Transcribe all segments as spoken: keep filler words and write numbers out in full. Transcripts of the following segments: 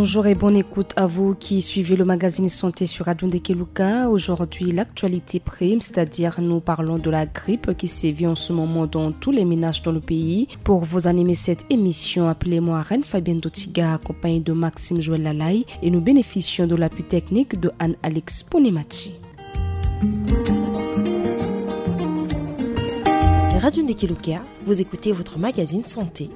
Bonjour et bonne écoute à vous qui suivez le magazine Santé sur Radio Ndekeluka. Aujourd'hui, l'actualité prime, c'est-à-dire nous parlons de la grippe qui sévit en ce moment dans tous les ménages dans le pays. Pour vous animer cette émission, appelez-moi Reine Fabienne Dotiga, accompagnée de Maxime Joël Lalay, et nous bénéficions de l'appui technique de Anne-Alex Ponemati. Radio Ndekeluka, vous écoutez votre magazine Santé.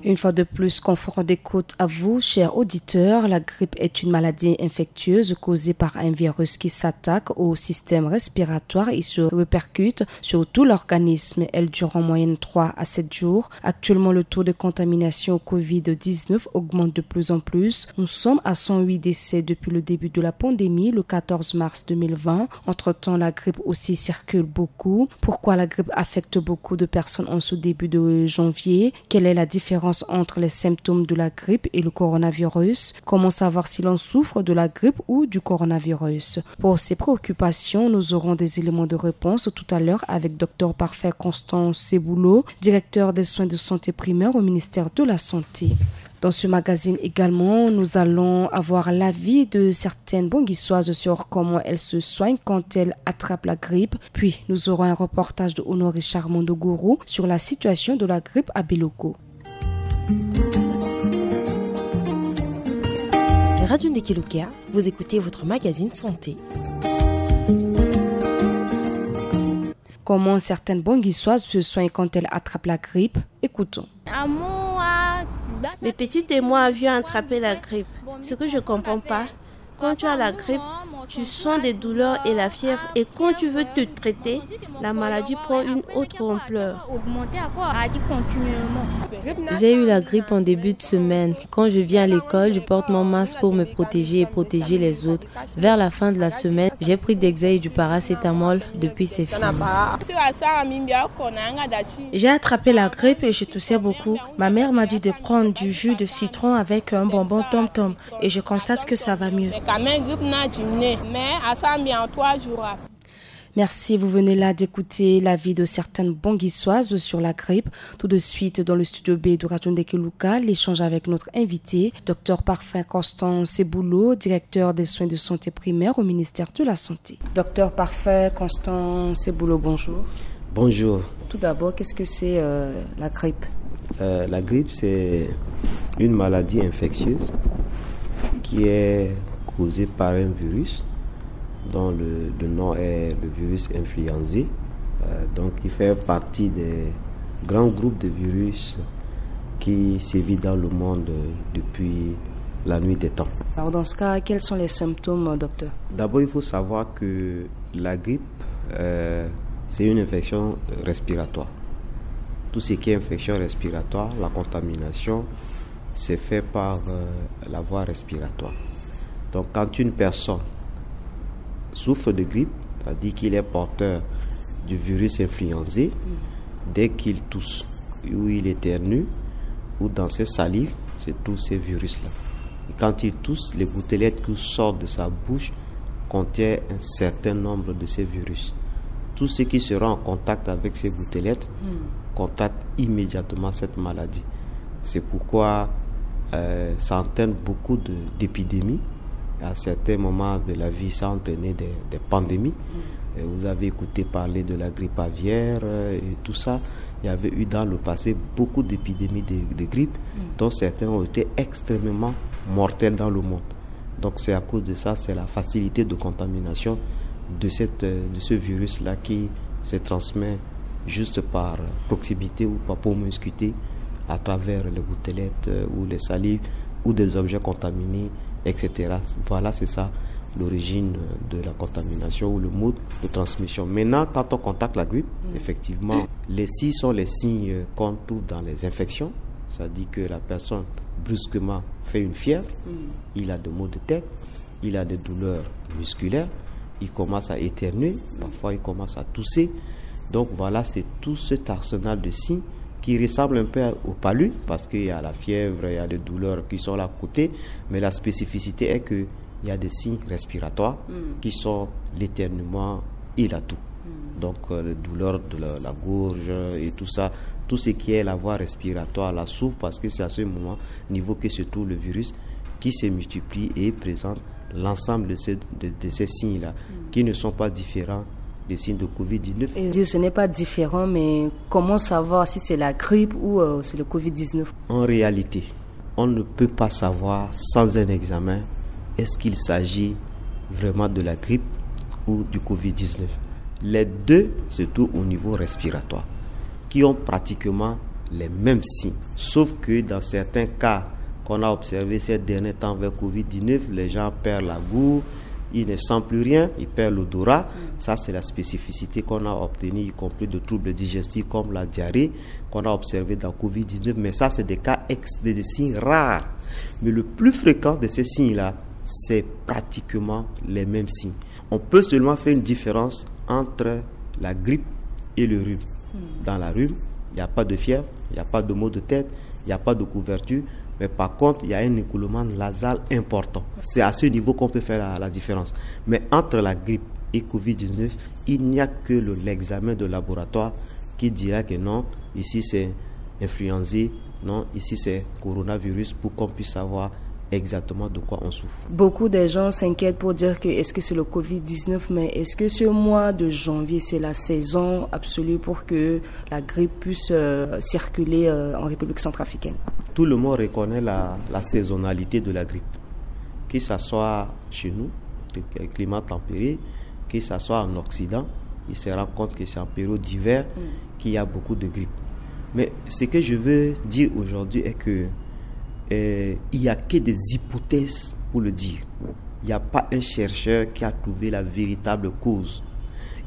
Une fois de plus, confort d'écoute à vous, chers auditeurs. La grippe est une maladie infectieuse causée par un virus qui s'attaque au système respiratoire et se répercute sur tout l'organisme. Elle dure en moyenne trois à sept jours. Actuellement, le taux de contamination au covid dix-neuf augmente de plus en plus. Nous sommes à cent huit décès depuis le début de la pandémie, le quatorze mars deux mille vingt. Entre-temps, la grippe aussi circule beaucoup. Pourquoi la grippe affecte beaucoup de personnes en ce début de janvier ? Quelle est la différence entre les symptômes de la grippe et le coronavirus ? Comment savoir si l'on souffre de la grippe ou du coronavirus ? Pour ces préoccupations, nous aurons des éléments de réponse tout à l'heure avec Dr Parfait Constant Seboulot, directeur des soins de santé primaire au ministère de la Santé. Dans ce magazine également, nous allons avoir l'avis de certaines Bonguissoises sur comment elles se soignent quand elles attrapent la grippe. Puis, nous aurons un reportage de Honoré Charmando Gourou sur la situation de la grippe à Beloko. Radio Ndekeluka, vous écoutez votre magazine Santé. Comment certaines Bonguissoises se soignent quand elles attrapent la grippe ? Écoutons. Mes petites et moi avions attrapé la grippe. Ce que je comprends pas, quand tu as la grippe, tu sens des douleurs et la fièvre, et quand tu veux te traiter, la maladie prend une autre ampleur. J'ai eu la grippe en début de semaine. Quand je viens à l'école, je porte mon masque pour me protéger et protéger les autres. Vers la fin de la semaine, j'ai pris Dexae et du paracétamol. Depuis, c'est fini. J'ai attrapé la grippe et je toussais beaucoup. Ma mère m'a dit de prendre du jus de citron avec un bonbon Tom Tom et je constate que ça va mieux. Merci, vous venez là d'écouter l'avis de certaines Bonguissoises sur la grippe. Tout de suite, dans le studio B de Radio Ndekeluka, l'échange avec notre invité, Dr Parfait Constant Seboulot, directeur des soins de santé primaire au ministère de la Santé. Dr Parfait Constant Seboulot, bonjour. Bonjour. Tout d'abord, qu'est-ce que c'est euh, la grippe ? Euh, la grippe, c'est une maladie infectieuse qui est causée par un virus dont le, le nom est le virus influenzé. Euh, donc, il fait partie des grands groupes de virus qui sévit dans le monde depuis la nuit des temps. Alors, dans ce cas, quels sont les symptômes, docteur ? D'abord, il faut savoir que la grippe, euh, c'est une infection respiratoire. Tout ce qui est infection respiratoire, la contamination, c'est fait par euh, la voie respiratoire. Donc, quand une personne souffre de grippe, c'est-à-dire qu'il est porteur du virus influenzé, dès qu'il tousse ou il éternue, ou dans ses salives, c'est tous ces virus-là. Et quand il tousse, les gouttelettes qui sortent de sa bouche contiennent un certain nombre de ces virus. Tous ceux qui seront en contact avec ces gouttelettes contactent immédiatement cette maladie. C'est pourquoi euh, ça entraîne beaucoup de- d'épidémies. À certains moments de la vie, ça a entraîné des, des pandémies. Et vous avez écouté parler de la grippe aviaire euh, et tout ça. Il y avait eu dans le passé beaucoup d'épidémies de, de grippe, dont certaines ont été extrêmement mortelles dans le monde. Donc c'est à cause de ça, c'est la facilité de contamination de, cette, euh, de ce virus-là qui se transmet juste par proximité ou par promiscuité à travers les gouttelettes euh, ou les salives ou des objets contaminés, et cetera. Voilà, c'est ça l'origine de la contamination ou le mode de transmission. Maintenant, quand on contacte la grippe, effectivement, les signes sont les signes qu'on trouve dans les infections, c'est-à-dire que la personne brusquement fait une fièvre, il a des maux de tête, il a des douleurs musculaires, il commence à éternuer, parfois il commence à tousser. Donc voilà, c'est tout cet arsenal de signes qui ressemble un peu au palu, parce qu'il y a la fièvre, il y a des douleurs qui sont là à côté, mais la spécificité est que il y a des signes respiratoires qui sont l'éternuement et la toux. Donc, euh, les douleurs de la, la gorge et tout ça, tout ce qui est la voie respiratoire, la souffre, parce que c'est à ce moment, niveau que se trouve le virus, qui se multiplie et présente l'ensemble de ces, de, de ces signes-là, qui ne sont pas différents des signes de covid dix-neuf. Et ce n'est pas différent, mais comment savoir si c'est la grippe ou, euh, c'est le covid dix-neuf ? En réalité, on ne peut pas savoir sans un examen est-ce qu'il s'agit vraiment de la grippe ou du covid dix-neuf. Les deux se trouvent au niveau respiratoire, qui ont pratiquement les mêmes signes. Sauf que dans certains cas qu'on a observés ces derniers temps avec covid dix-neuf, les gens perdent la goût, ils ne sentent plus rien, ils perdent l'odorat. Ça, c'est la spécificité qu'on a obtenue, y compris de troubles digestifs comme la diarrhée, qu'on a observé dans covid dix-neuf. Mais ça, c'est des cas ex-, des, des signes rares. Mais le plus fréquent de ces signes-là, c'est pratiquement les mêmes signes. On peut seulement faire une différence entre la grippe et le rhume. Dans la rhume, il n'y a pas de fièvre, il n'y a pas de maux de tête, il n'y a pas de couverture, mais par contre, il y a un écoulement nasal important. C'est à ce niveau qu'on peut faire la, la différence. Mais entre la grippe et covid dix-neuf, il n'y a que le, l'examen de laboratoire qui dira que non, ici c'est influenzé, non, ici c'est coronavirus, pour qu'on puisse savoir exactement de quoi on souffre. Beaucoup de gens s'inquiètent pour dire que est-ce que c'est le covid dix-neuf, mais est-ce que ce mois de janvier, c'est la saison absolue pour que la grippe puisse, euh, circuler, euh, en République centrafricaine ? Tout le monde reconnaît la, la saisonnalité de la grippe. Que ça soit chez nous, le climat tempéré, que ça soit en Occident, il se rend compte que c'est en période d'hiver qu'il y a beaucoup de grippe. Mais ce que je veux dire aujourd'hui est que, euh, il n'y a que des hypothèses pour le dire. Il n'y a pas un chercheur qui a trouvé la véritable cause.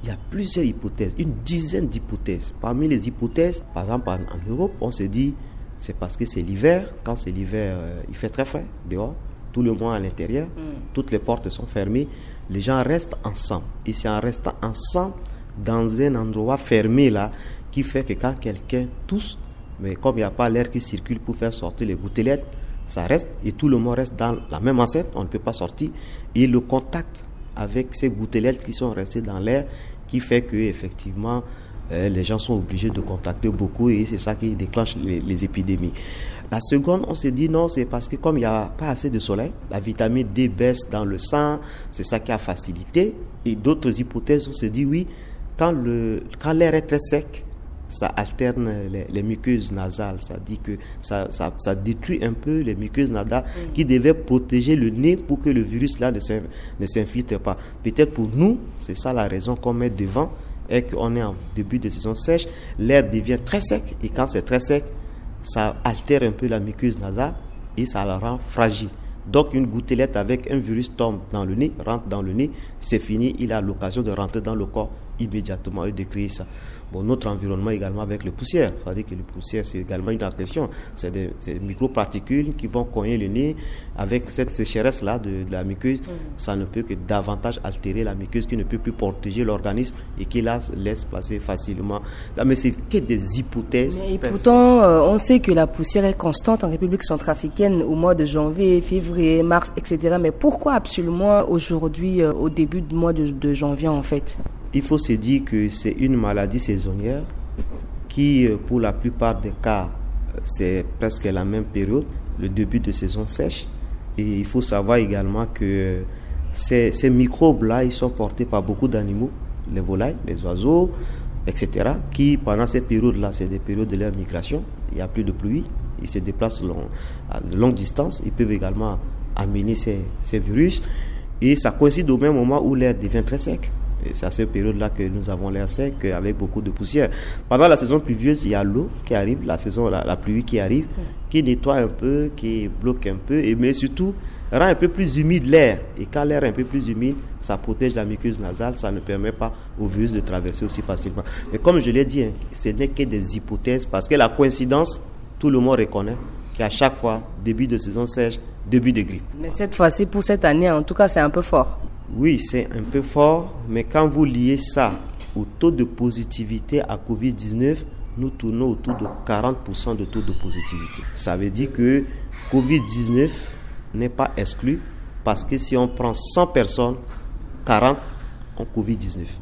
Il y a plusieurs hypothèses, une dizaine d'hypothèses. Parmi les hypothèses, par exemple, en, en Europe, on se dit, c'est parce que c'est l'hiver. Quand c'est l'hiver, euh, il fait très frais dehors. Tout le monde à l'intérieur. Toutes les portes sont fermées. Les gens restent ensemble. Et c'est en restant ensemble dans un endroit fermé là qui fait que quand quelqu'un tousse, mais comme il n'y a pas l'air qui circule pour faire sortir les gouttelettes, ça reste et tout le monde reste dans la même enceinte, on ne peut pas sortir. Et le contact avec ces gouttelettes qui sont restées dans l'air, qui fait que effectivement, euh, les gens sont obligés de contacter beaucoup et c'est ça qui déclenche les, les épidémies. La seconde, on se dit non, c'est parce que comme il n'y a pas assez de soleil, la vitamine D baisse dans le sang, c'est ça qui a facilité. Et d'autres hypothèses, on se dit oui, quand le, quand l'air est très sec, ça alterne les, les muqueuses nasales, ça dit que ça, ça, ça détruit un peu les muqueuses nasales qui devaient protéger le nez pour que le virus là ne s'in-, ne s'infiltre pas. Peut-être pour nous, c'est ça la raison qu'on met devant, est qu'on est en début de saison sèche, l'air devient très sec, et quand c'est très sec, ça altère un peu la muqueuse nasale et ça la rend fragile. Donc une gouttelette avec un virus tombe dans le nez, rentre dans le nez, c'est fini, il a l'occasion de rentrer dans le corps immédiatement et de créer ça. Bon, notre environnement également avec les poussières, c'est-à-dire que les poussières, c'est également une agression. C'est des, c'est des microparticules qui vont cogner le nez. Avec cette sécheresse-là de, de la muqueuse, ça ne peut que davantage altérer la muqueuse qui ne peut plus protéger l'organisme et qui la laisse passer facilement. Ah, mais c'est que des hypothèses. Mais et pourtant, euh, on sait que la poussière est constante en République centrafricaine au mois de janvier, février, mars, et cetera. Mais pourquoi absolument aujourd'hui, euh, au début du mois de, de janvier en fait ? Il faut se dire que c'est une maladie saisonnière qui, euh, pour la plupart des cas, c'est presque la même période, le début de saison sèche. Et il faut savoir également que, euh, ces, ces microbes-là, ils sont portés par beaucoup d'animaux, les volailles, les oiseaux, et cetera, qui, pendant ces périodes-là, c'est des périodes de leur migration, il n'y a plus de pluie, ils se déplacent long, à de longues distances, ils peuvent également amener ces, ces virus. Et ça coïncide au même moment où l'air devient très sec. Et c'est à cette période-là que nous avons l'air sec, avec beaucoup de poussière. Pendant la saison pluvieuse, il y a l'eau qui arrive, la saison, la, la pluie qui arrive, qui nettoie un peu, qui bloque un peu, et, mais surtout rend un peu plus humide l'air. Et quand l'air est un peu plus humide, ça protège la muqueuse nasale, ça ne permet pas au virus de traverser aussi facilement. Mais comme je l'ai dit, hein, ce n'est que des hypothèses, parce que la coïncidence, tout le monde reconnaît qu'à chaque fois, début de saison sèche, début de grippe. Mais cette fois-ci, pour cette année, en tout cas, c'est un peu fort. Oui, c'est un peu fort, mais quand vous liez ça au taux de positivité à covid dix-neuf, nous tournons autour de quarante pour cent de taux de positivité. Ça veut dire que covid dix-neuf n'est pas exclu, parce que si on prend cent personnes, quarante ont covid dix-neuf.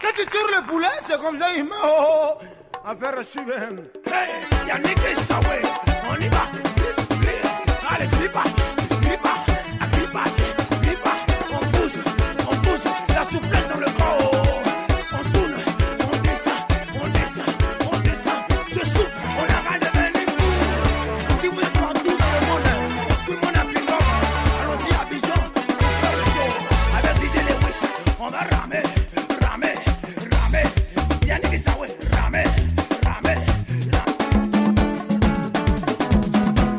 Quand tu tires le poulet, c'est comme ça, il meurt. Affaire à suivre. Hey, Yannick Sawe, on y va. Allez, gripa, gripa, gripa, gripa. On bouge, on bouge. La souplesse dans le corps. On tourne, on descend, on descend, on descend. Je souffle, on arrête de venir fou. Si vous êtes partout dans le monde, tout le monde a pris l'homme. Allons-y, Abidjan, on fait le show. Avec D J Lewis, on va ramer, ramer, ramer. Yannick Sawe, ramer, ramer, ramer.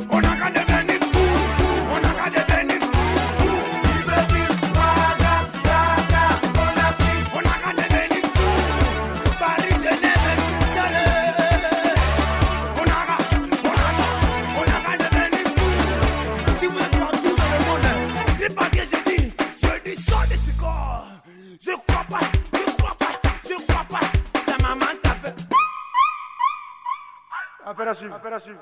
On arrête de venir fou, on arrête de venir fou. On arrête de venir fou. Paris, Genève, Bruxelles. On arrête, on arrête, on arrête de venir fou. Si vous êtes partout dans le monde, gripa bien, je dis, je dis, sors de ce corps. Je crois pas, je crois pas, je crois pas. Ta maman t'a fait. Affaire à suivre. Affaire à suivre.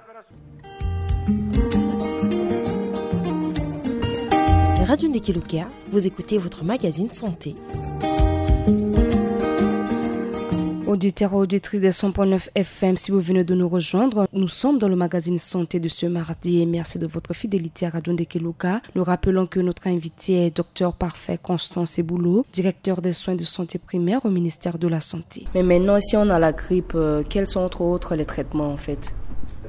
Radio Ndeke Luka, vous écoutez votre magazine santé. Auditeurs et auditrices des cent point neuf F M, si vous venez de nous rejoindre, nous sommes dans le magazine santé de ce mardi et merci de votre fidélité à Radio Ndeke Luka. Nous rappelons que notre invité est Dr Parfait Constance Eboulot, directeur des soins de santé primaire au ministère de la Santé. Mais maintenant, si on a la grippe, euh, quels sont entre autres les traitements en fait ?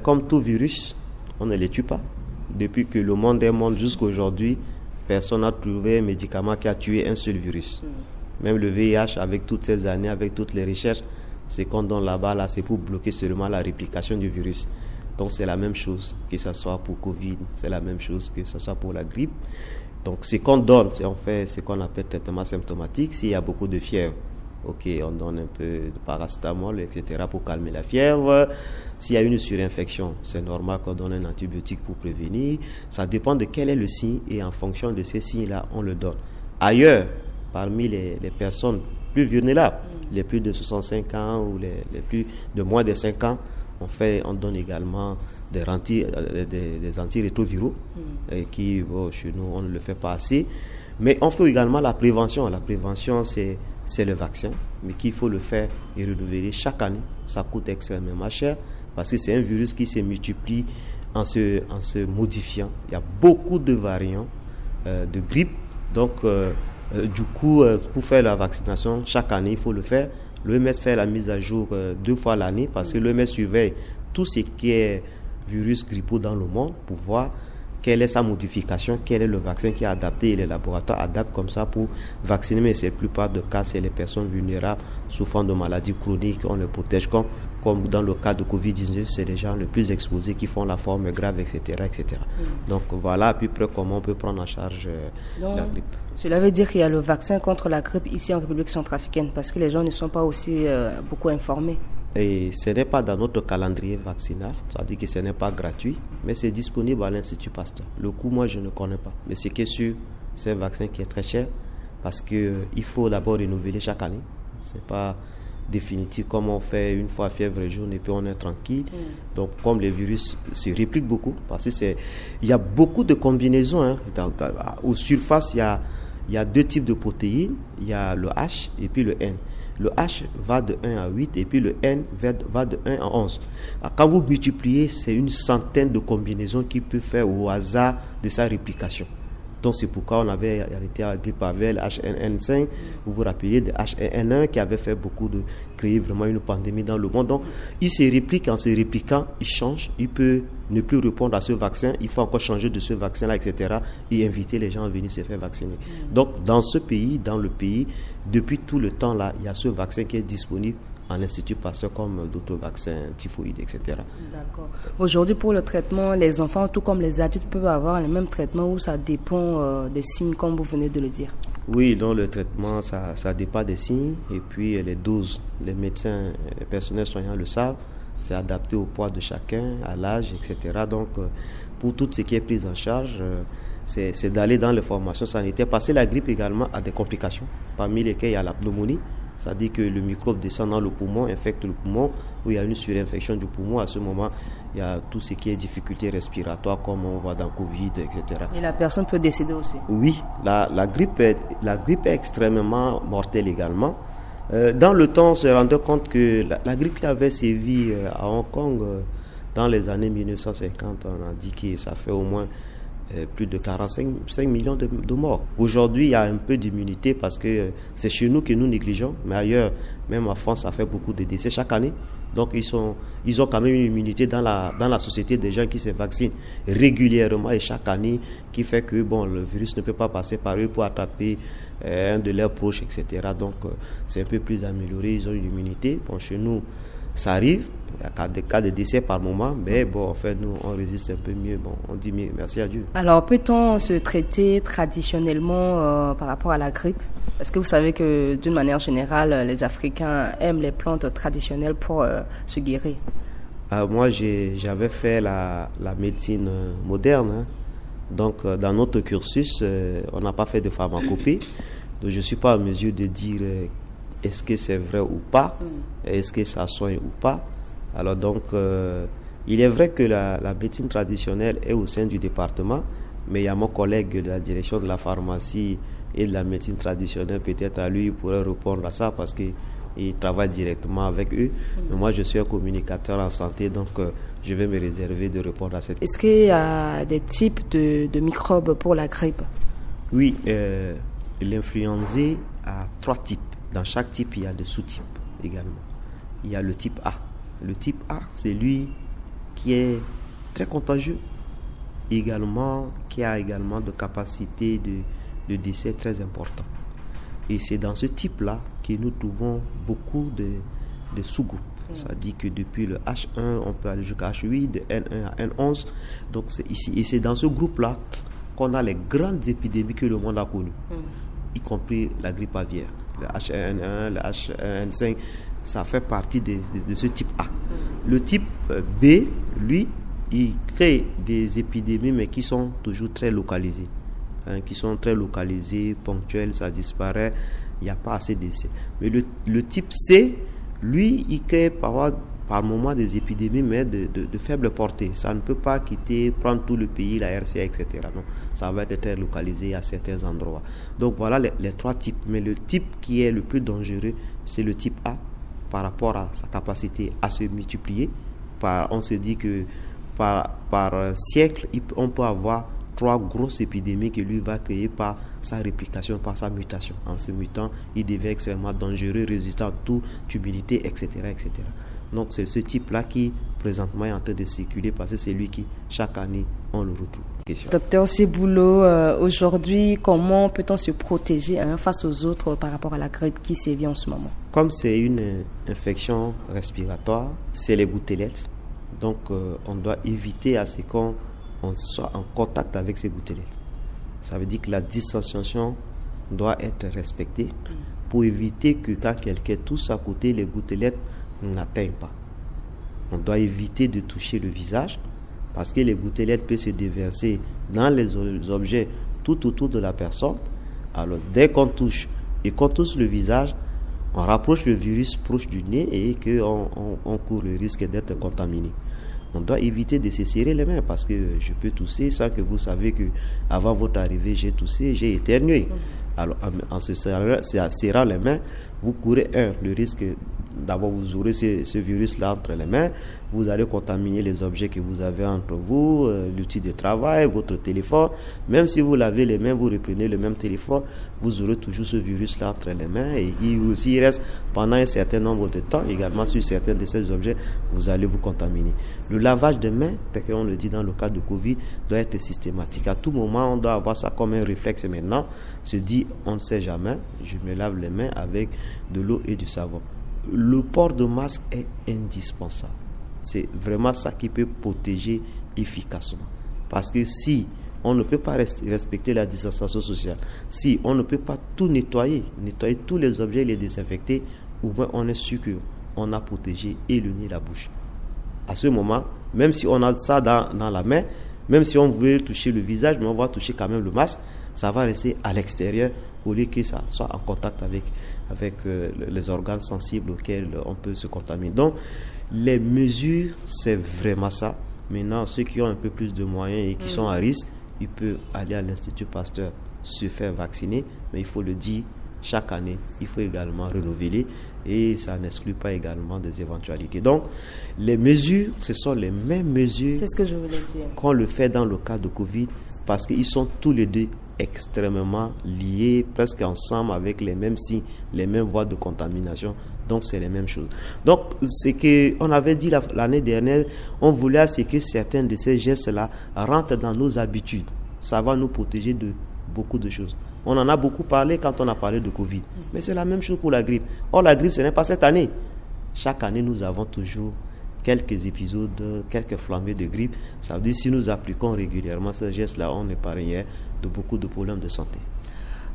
Comme tout virus, on ne les tue pas. Depuis que le monde est monde jusqu'à aujourd'hui, personne n'a trouvé un médicament qui a tué un seul virus. Même le V I H, avec toutes ces années, avec toutes les recherches, ce qu'on donne là-bas, là, c'est pour bloquer seulement la réplication du virus. Donc c'est la même chose, que ce soit pour covid, c'est la même chose, que ce soit pour la grippe. Donc ce qu'on donne, c'est, on fait ce qu'on appelle traitement symptomatique. S'il y a beaucoup de fièvre, ok, on donne un peu de paracétamol, et cetera, pour calmer la fièvre. S'il y a une surinfection, c'est normal qu'on donne un antibiotique pour prévenir. Ça dépend de quel est le signe et en fonction de ces signes-là, on le donne. Ailleurs, parmi les, les personnes plus vulnérables, les plus de soixante-cinq ans ou les, les plus de moins de cinq ans, on fait, on donne également des, anti, euh, des, des antirétroviraux, euh, qui, bon, chez nous, on ne le fait pas assez. Mais on fait également la prévention. La prévention, c'est, c'est le vaccin, mais qu'il faut le faire et renouveler chaque année. Ça coûte extrêmement cher parce que c'est un virus qui se multiplie en se, en se modifiant. Il y a beaucoup de variants, euh, de grippe. Donc, euh, euh, du coup, euh, pour faire la vaccination, chaque année, il faut le faire. L'O M S fait la mise à jour, euh, deux fois l'année parce que l'O M S surveille tout ce qui est virus grippaux dans le monde pour voir quelle est sa modification, quel est le vaccin qui est adapté et les laboratoires adaptent comme ça pour vacciner. Mais c'est la plupart des cas, c'est les personnes vulnérables souffrant de maladies chroniques, on les protège comme, comme dans le cas de covid dix-neuf, c'est les gens les plus exposés qui font la forme grave, et cetera, et cetera. Donc voilà à peu près comment on peut prendre en charge, euh, la grippe. Cela veut dire qu'il y a le vaccin contre la grippe ici en République centrafricaine parce que les gens ne sont pas aussi, euh, beaucoup informés. Et ce n'est pas dans notre calendrier vaccinal, c'est-à-dire que ce n'est pas gratuit, mais c'est disponible à l'Institut Pasteur. Le coût, moi, je ne connais pas. Mais ce qui est sûr, c'est un vaccin qui est très cher parce que, euh, il faut d'abord renouveler chaque année. C'est pas définitif comme on fait une fois fièvre jaune et puis on est tranquille. Donc, comme le virus se réplique beaucoup, parce que c'est, il y a beaucoup de combinaisons, hein. Donc, euh, aux surfaces, il y a, il y a deux types de protéines. Il y a le H et puis le N. Le H va de un à huit et puis le N va de, va de un à onze. Ah, quand vous multipliez, c'est une centaine de combinaisons qu'il peut faire au hasard de sa réplication. Donc, c'est pourquoi on avait arrêté la grippe aviaire, le H un N cinq. Vous vous rappelez de H un N un qui avait fait beaucoup de, créer vraiment une pandémie dans le monde. Donc, il se réplique, en se répliquant, il change. Il peut ne plus répondre à ce vaccin. Il faut encore changer de ce vaccin-là, et cetera. Et inviter les gens à venir se faire vacciner. Donc, dans ce pays, dans le pays, depuis tout le temps là, il y a ce vaccin qui est disponible à l'Institut Pasteur comme d'autres vaccins typhoïdes, et cetera. D'accord. Aujourd'hui, pour le traitement, les enfants, tout comme les adultes, peuvent avoir le même traitement ou ça dépend, euh, des signes, comme vous venez de le dire ? Oui, donc le traitement, ça, ça dépend des signes. Et puis, euh, les doses, les médecins, les personnels soignants le savent. C'est adapté au poids de chacun, à l'âge, et cetera. Donc, euh, pour tout ce qui est prise en charge, euh, c'est, c'est d'aller dans les formations sanitaires. Parce que la grippe également a des complications, parmi lesquelles il y a la pneumonie. C'est-à-dire que le microbe descend dans le poumon, infecte le poumon, où il y a une surinfection du poumon. À ce moment, il y a tout ce qui est difficulté respiratoire, comme on voit dans covid, et cetera. Et la personne peut décéder aussi ? Oui, la, la grippe est, la grippe est extrêmement mortelle également. Euh, dans le temps, on se rendait compte que la, la grippe qui avait sévi, euh, à Hong Kong, euh, dans les années mille neuf cent cinquante, on a dit que ça fait au moins, euh, plus de quarante-cinq millions de, de morts. Aujourd'hui, il y a un peu d'immunité parce que, euh, c'est chez nous que nous négligeons, mais ailleurs, même en France, ça fait beaucoup de décès chaque année. Donc, ils sont, ils ont quand même une immunité dans la, dans la société des gens qui se vaccinent régulièrement et chaque année, qui fait que, bon, le virus ne peut pas passer par eux pour attraper, euh, un de leurs proches, et cetera. Donc, euh, c'est un peu plus amélioré, ils ont une immunité. Bon, chez nous, ça arrive, il y a des cas de décès par moment, mais bon, en fait, nous, on résiste un peu mieux. Bon, on dit mieux, merci à Dieu. Alors, peut-on se traiter traditionnellement, euh, par rapport à la grippe ? Parce que vous savez que, d'une manière générale, les Africains aiment les plantes traditionnelles pour, euh, se guérir. Ah, moi, j'ai, j'avais fait la, la médecine, euh, moderne, hein. Donc, euh, dans notre cursus, euh, on n'a pas fait de pharmacopée. Donc, je ne suis pas en mesure de dire, euh, est-ce que c'est vrai ou pas, est-ce que ça soigne ou pas. Alors donc, euh, il est vrai que la, la médecine traditionnelle est au sein du département, mais il y a mon collègue de la direction de la pharmacie et de la médecine traditionnelle, peut-être à lui, il pourrait répondre à ça parce qu'il travaille directement avec eux. Mais moi, je suis un communicateur en santé, donc, euh, je vais me réserver de répondre à cette question. Est-ce qu'il y a des types de, de microbes pour la grippe ? Oui, euh, l'influenza a trois types. Dans chaque type, il y a des sous-types également. Il y a le type A. Le type A, c'est lui qui est très contagieux également, qui a également de capacités de, de décès très importantes. Et c'est dans ce type-là que nous trouvons beaucoup de, de sous-groupes. Ça dit que depuis le H un, on peut aller jusqu'à H huit, de N un à N onze. Donc c'est ici. Et c'est dans ce groupe-là qu'on a les grandes épidémies que le monde a connues, y compris la grippe aviaire, le H un N un, le H un N cinq, ça fait partie de, de, de ce type A. Le type, euh, B, lui, il crée des épidémies, mais qui sont toujours très localisées, hein, qui sont très localisées, ponctuelles, ça disparaît, il n'y a pas assez d'essais. Mais le, le type C, lui, il crée par, par moment des épidémies, mais de, de, de faible portée. Ça ne peut pas quitter, prendre tout le pays, la R C A, et cetera. Non, ça va être très localisé à certains endroits. Donc voilà les, les trois types. Mais le type qui est le plus dangereux, c'est le type A par rapport à sa capacité à se multiplier. Par, on se dit que par, par siècle, il peut, on peut avoir trois grosses épidémies que lui va créer par sa réplication, par sa mutation. En se mutant, il devient extrêmement dangereux, résistant à toute humidité, et cetera, et cetera. Donc c'est ce type-là qui, présentement, est en train de circuler parce que c'est lui qui, chaque année, on le retrouve. Question. Docteur Seboulot, euh, aujourd'hui, comment peut-on se protéger, hein, face aux autres par rapport à la grippe qui sévit en ce moment ? Comme c'est une, euh, infection respiratoire, c'est les gouttelettes. Donc, euh, on doit éviter à ce qu'on, on soit en contact avec ces gouttelettes. Ça veut dire que la distanciation doit être respectée pour éviter que quand quelqu'un tousse à côté, les gouttelettes On n'atteint pas. On doit éviter de toucher le visage parce que les gouttelettes peuvent se déverser dans les o- les objets tout autour de la personne. Alors, dès qu'on touche et qu'on touche le visage, on rapproche le virus proche du nez et que on, on- on court le risque d'être contaminé. On doit éviter de se serrer les mains parce que je peux tousser sans que vous savez que avant votre arrivée, j'ai toussé, j'ai éternué. Alors, en, en se serrant, se serrant les mains, vous courez, un, le risque, d'abord, vous aurez ce, ce virus-là entre les mains, vous allez contaminer les objets que vous avez entre vous, euh, l'outil de travail, votre téléphone. Même si vous lavez les mains, vous reprenez le même téléphone, vous aurez toujours ce virus-là entre les mains et il, aussi, il reste pendant un certain nombre de temps également sur certains de ces objets, vous allez vous contaminer. Le lavage de mains, tel qu'on le dit dans le cas de covid, doit être systématique. À tout moment, on doit avoir ça comme un réflexe maintenant, se dire, on ne sait jamais, je me lave les mains avec de l'eau et du savon. Le port de masque est indispensable. C'est vraiment ça qui peut protéger efficacement. Parce que si on ne peut pas res- respecter la distanciation sociale, si on ne peut pas tout nettoyer, nettoyer tous les objets et les désinfecter, au moins on est sûr que on a protégé et le nez et la bouche. À ce moment, même si on a ça dans, dans la main, même si on veut toucher le visage, mais on va toucher quand même le masque, ça va rester à l'extérieur au lieu que ça soit en contact avec, avec euh, le- les organes sensibles auxquels on peut se contaminer. Donc, les mesures, c'est vraiment ça. Maintenant, ceux qui ont un peu plus de moyens et qui sont à risque, ils peuvent aller à l'Institut Pasteur se faire vacciner, mais il faut le dire, chaque année, il faut également renouveler et ça n'exclut pas également des éventualités. Donc, les mesures, ce sont les mêmes mesures C'est ce que je voulais dire. qu'on le fait dans le cas de covid parce qu'ils sont tous les deux extrêmement liés, presque ensemble, avec les mêmes signes, les mêmes voies de contamination. Donc, c'est les mêmes choses. Donc, c'est que on avait dit la- l'année dernière, on voulait à ce que certains de ces gestes-là rentrent dans nos habitudes. Ça va nous protéger de beaucoup de choses. On en a beaucoup parlé quand on a parlé de covid. Mais c'est la même chose pour la grippe. Or, la grippe, ce n'est pas cette année. Chaque année, nous avons toujours quelques épisodes, quelques flambées de grippe. Ça veut dire si nous appliquons régulièrement ces gestes-là, on épargnerait de beaucoup de problèmes de santé.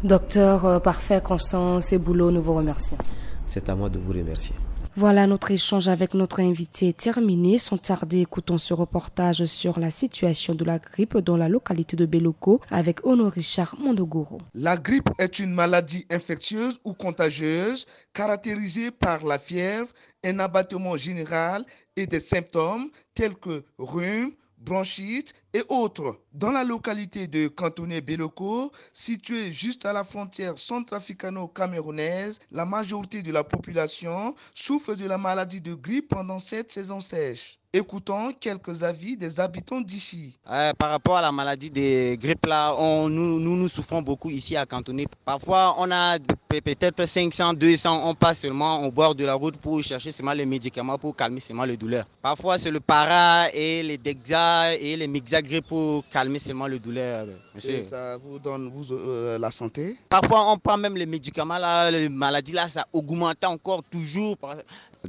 Docteur euh, Parfait Constant Seboulot, nous vous remercions. C'est à moi de vous remercier. Voilà, notre échange avec notre invité est terminé. Sans tarder, écoutons ce reportage sur la situation de la grippe dans la localité de Beloko avec Ono Richard Mondogoro. La grippe est une maladie infectieuse ou contagieuse caractérisée par la fièvre, un abattement général et des symptômes tels que rhume, bronchite et autres. Dans la localité de Kantoné Beloko, située juste à la frontière centrafricano-camerounaise, la majorité de la population souffre de la maladie de grippe pendant cette saison sèche. Écoutons quelques avis des habitants d'ici. Euh, par rapport à la maladie de grippe, là, on, nous, nous, nous souffrons beaucoup ici à Kantoné. Parfois, on a pe- peut-être cinq cents, deux cents, on passe seulement au bord de la route pour chercher seulement les médicaments pour calmer seulement les douleurs. Parfois, c'est le para et les dexa et les mixagrippe pour calmer seulement les douleurs, monsieur. Et ça vous donne vous, euh, la santé. Parfois, on prend même les médicaments, là, les maladies, là, ça augmente encore toujours. Par-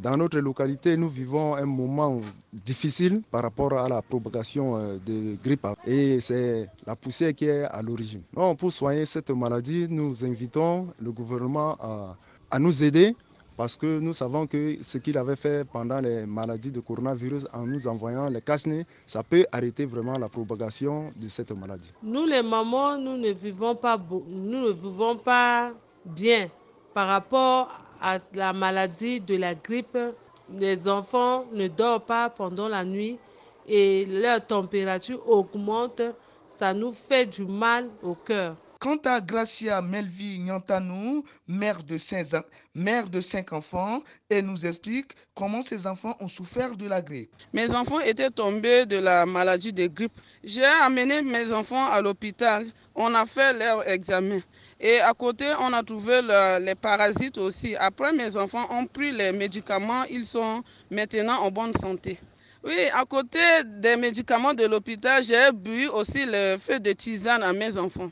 Dans notre localité, nous vivons un moment difficile par rapport à la propagation euh, de grippe et c'est la poussière qui est à l'origine. Donc, pour soigner cette maladie, nous invitons le gouvernement à, à nous aider parce que nous savons que ce qu'il avait fait pendant les maladies de coronavirus en nous envoyant les cache-nez, ça peut arrêter vraiment la propagation de cette maladie. Nous, les mamans, nous ne vivons pas, beau- nous ne vivons pas bien par rapport à la maladie de la grippe. Les enfants ne dorment pas pendant la nuit et leur température augmente. Ça nous fait du mal au cœur. Quant à Gracia Melville Nyantanou, mère de, cinq, mère de cinq enfants, elle nous explique comment ses enfants ont souffert de la grippe. Mes enfants étaient tombés de la maladie de grippe. J'ai amené mes enfants à l'hôpital. On a fait leur examen. Et à côté, on a trouvé le- les parasites aussi. Après, mes enfants ont pris les médicaments. Ils sont maintenant en bonne santé. Oui, à côté des médicaments de l'hôpital, j'ai bu aussi le feu de tisane à mes enfants.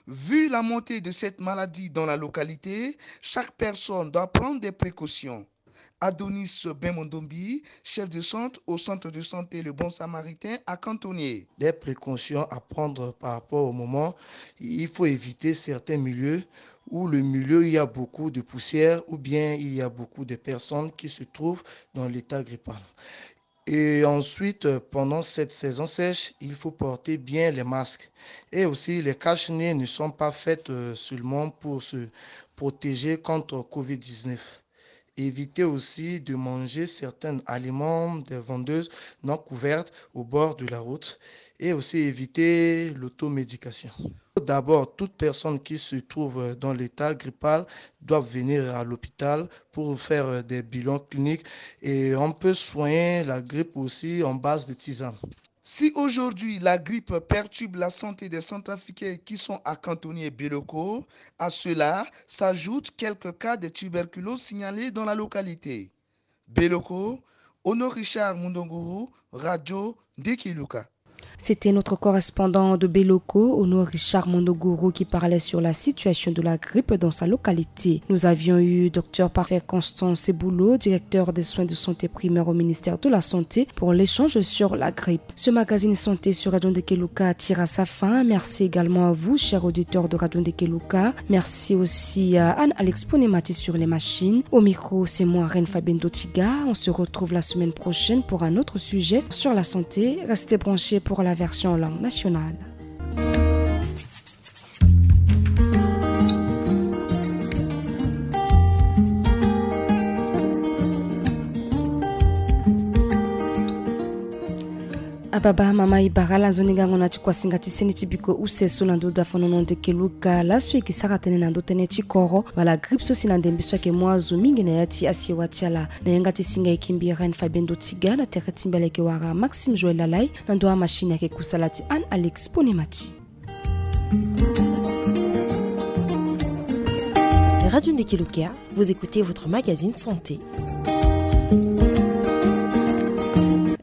Vu la montée de cette maladie dans la localité, chaque personne doit prendre des précautions. Adonis Bemondombi, chef de centre au centre de santé Le Bon Samaritain à Cantonnier. Des précautions à prendre par rapport au moment. Il faut éviter certains milieux où le milieu, il y a beaucoup de poussière ou bien il y a beaucoup de personnes qui se trouvent dans l'état grippal. Et ensuite, euh, pendant cette saison sèche, il faut porter bien les masques. Et aussi, les cache-nez ne sont pas faites, euh, seulement pour se protéger contre covid dix-neuf. Évitez aussi de manger certains aliments des vendeuses non couvertes au bord de la route et aussi éviter l'automédication. D'abord, toute personne qui se trouve dans l'état grippal doit venir à l'hôpital pour faire des bilans cliniques et on peut soigner la grippe aussi en base de tisane. Si aujourd'hui la grippe perturbe la santé des Centrafricains qui sont à Cantonnier et Beloko, à cela s'ajoutent quelques cas de tuberculose signalés dans la localité. Beloko, Ono Richard Mundunguru, Radio Ndiki Luka. C'était notre correspondant de Beloko, Ono Richard Mundunguru, qui parlait sur la situation de la grippe dans sa localité. Nous avions eu Dr Parfait Constant Seboulo, directeur des soins de santé primaire au ministère de la Santé, pour l'échange sur la grippe. Ce magazine santé sur Radio Ndeke Luka tire à sa fin. Merci également à vous, chers auditeurs de Radio Ndeke Luka. Merci aussi à Anne-Alex Ponemati sur les machines. Au micro, c'est moi, Reine Fabienne Dotiga. On se retrouve la semaine prochaine pour un autre sujet sur la santé. Restez branchés pour la version langue nationale. Ababa mama, e bara ala nzoni gango na ti kuasinga ti seni ti biko use so na ndö dafanono Ndeke Luka. Laso e yeke sara tënë na ndö tënë ti koro wala grippe so si na ndembe so ayeke mu azo mingi na ya ti asiwa ti ala. Na yanga ti singa e yeke mbi Reine Fabienne Dotiga, na tere ti mbi ala yeke wara Maxime Joël Lalay, na ndö amachine ayeke kusala ti Anne Alex Ponemati. Radio Ndeke Luka, vous écoutez votre magazine santé.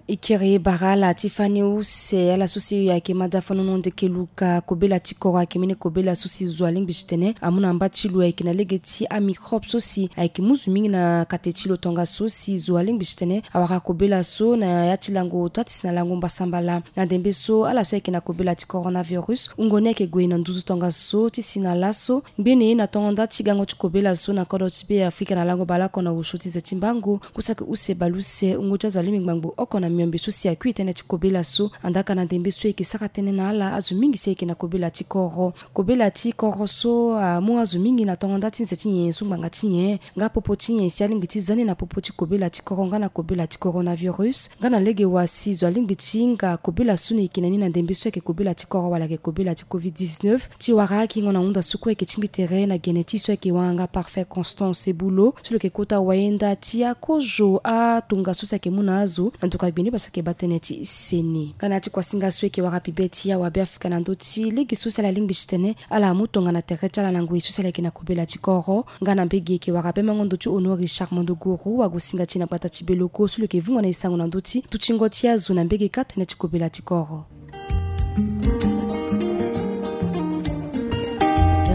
E kiri bara ala ti fani use, ala so si ayeke mada fanono Ndeke Luka, kobela ti koro ayeke mbeni kobela so si zo alingbi titene amu na mba ti lo, ayeke na lege ti amicrobe so si ayeke mu zo mingi na kate ti lo, tongaso si zo alingbi titene awara kobela so na ya ti lango ota ti si na lango mbasambala. Na ndembe so ala so ayeke na kobela ti coronavirus, wungo ni ayeke gue na nduzu tongaso ti si na laso. Ngbene na tongo nda ti gango ti kobela so na kodro ti Be Afrika na lango bale oko na osio ti ze ti mbango, ku saki use bale use wungo ti azo alingbi ngbangbo oko na miombe so si akui tënë ti kobela so. Andaa ka na ndembe so e yeke sara tënë na ala, azo mingi si ayeke na kobela ti koro. Kobela ti koro so amu azo mingi na tongo nda ti nze ti nyen so ngbanga ti nyen, nga popo ti nyen si alingbi ti za ni na popo ti kobela ti koro nga na kobela ti coronavirus, nga na lege wa si zo alingbi ti hinga kobela so ni e yeke na ni na ndembe so ayeke kobela ti koro wala ayeke kobela ti covid dix-neuf. Ti wara akingo na hunda so kue e yeke tingbi tere na gene ti so ayeke wanganga Parfait Constant Seboulo, so lo yeke kota wayenda ti akozo atongaso si ayeke mu na azo na ndokua gbeni baa so ayeke baa tënë ti seni. Nga na ya ti kuasinga so e yeke wara bibe ti awabe Afrika na ndö ti lege so si ala lingbi titene ala mu tongana tere ti ala na ngoi so si ala yeke na kobela ti koro. Nga na mbage e yeke wara bemango ndo ti Honoré Richard Mondogoro, wagosinga ti e na gbata ti Beloko, so lo yeke vungo na e sango na ndö ti dutingo ti azo na mbage kâ tënë ti kobela ti koro.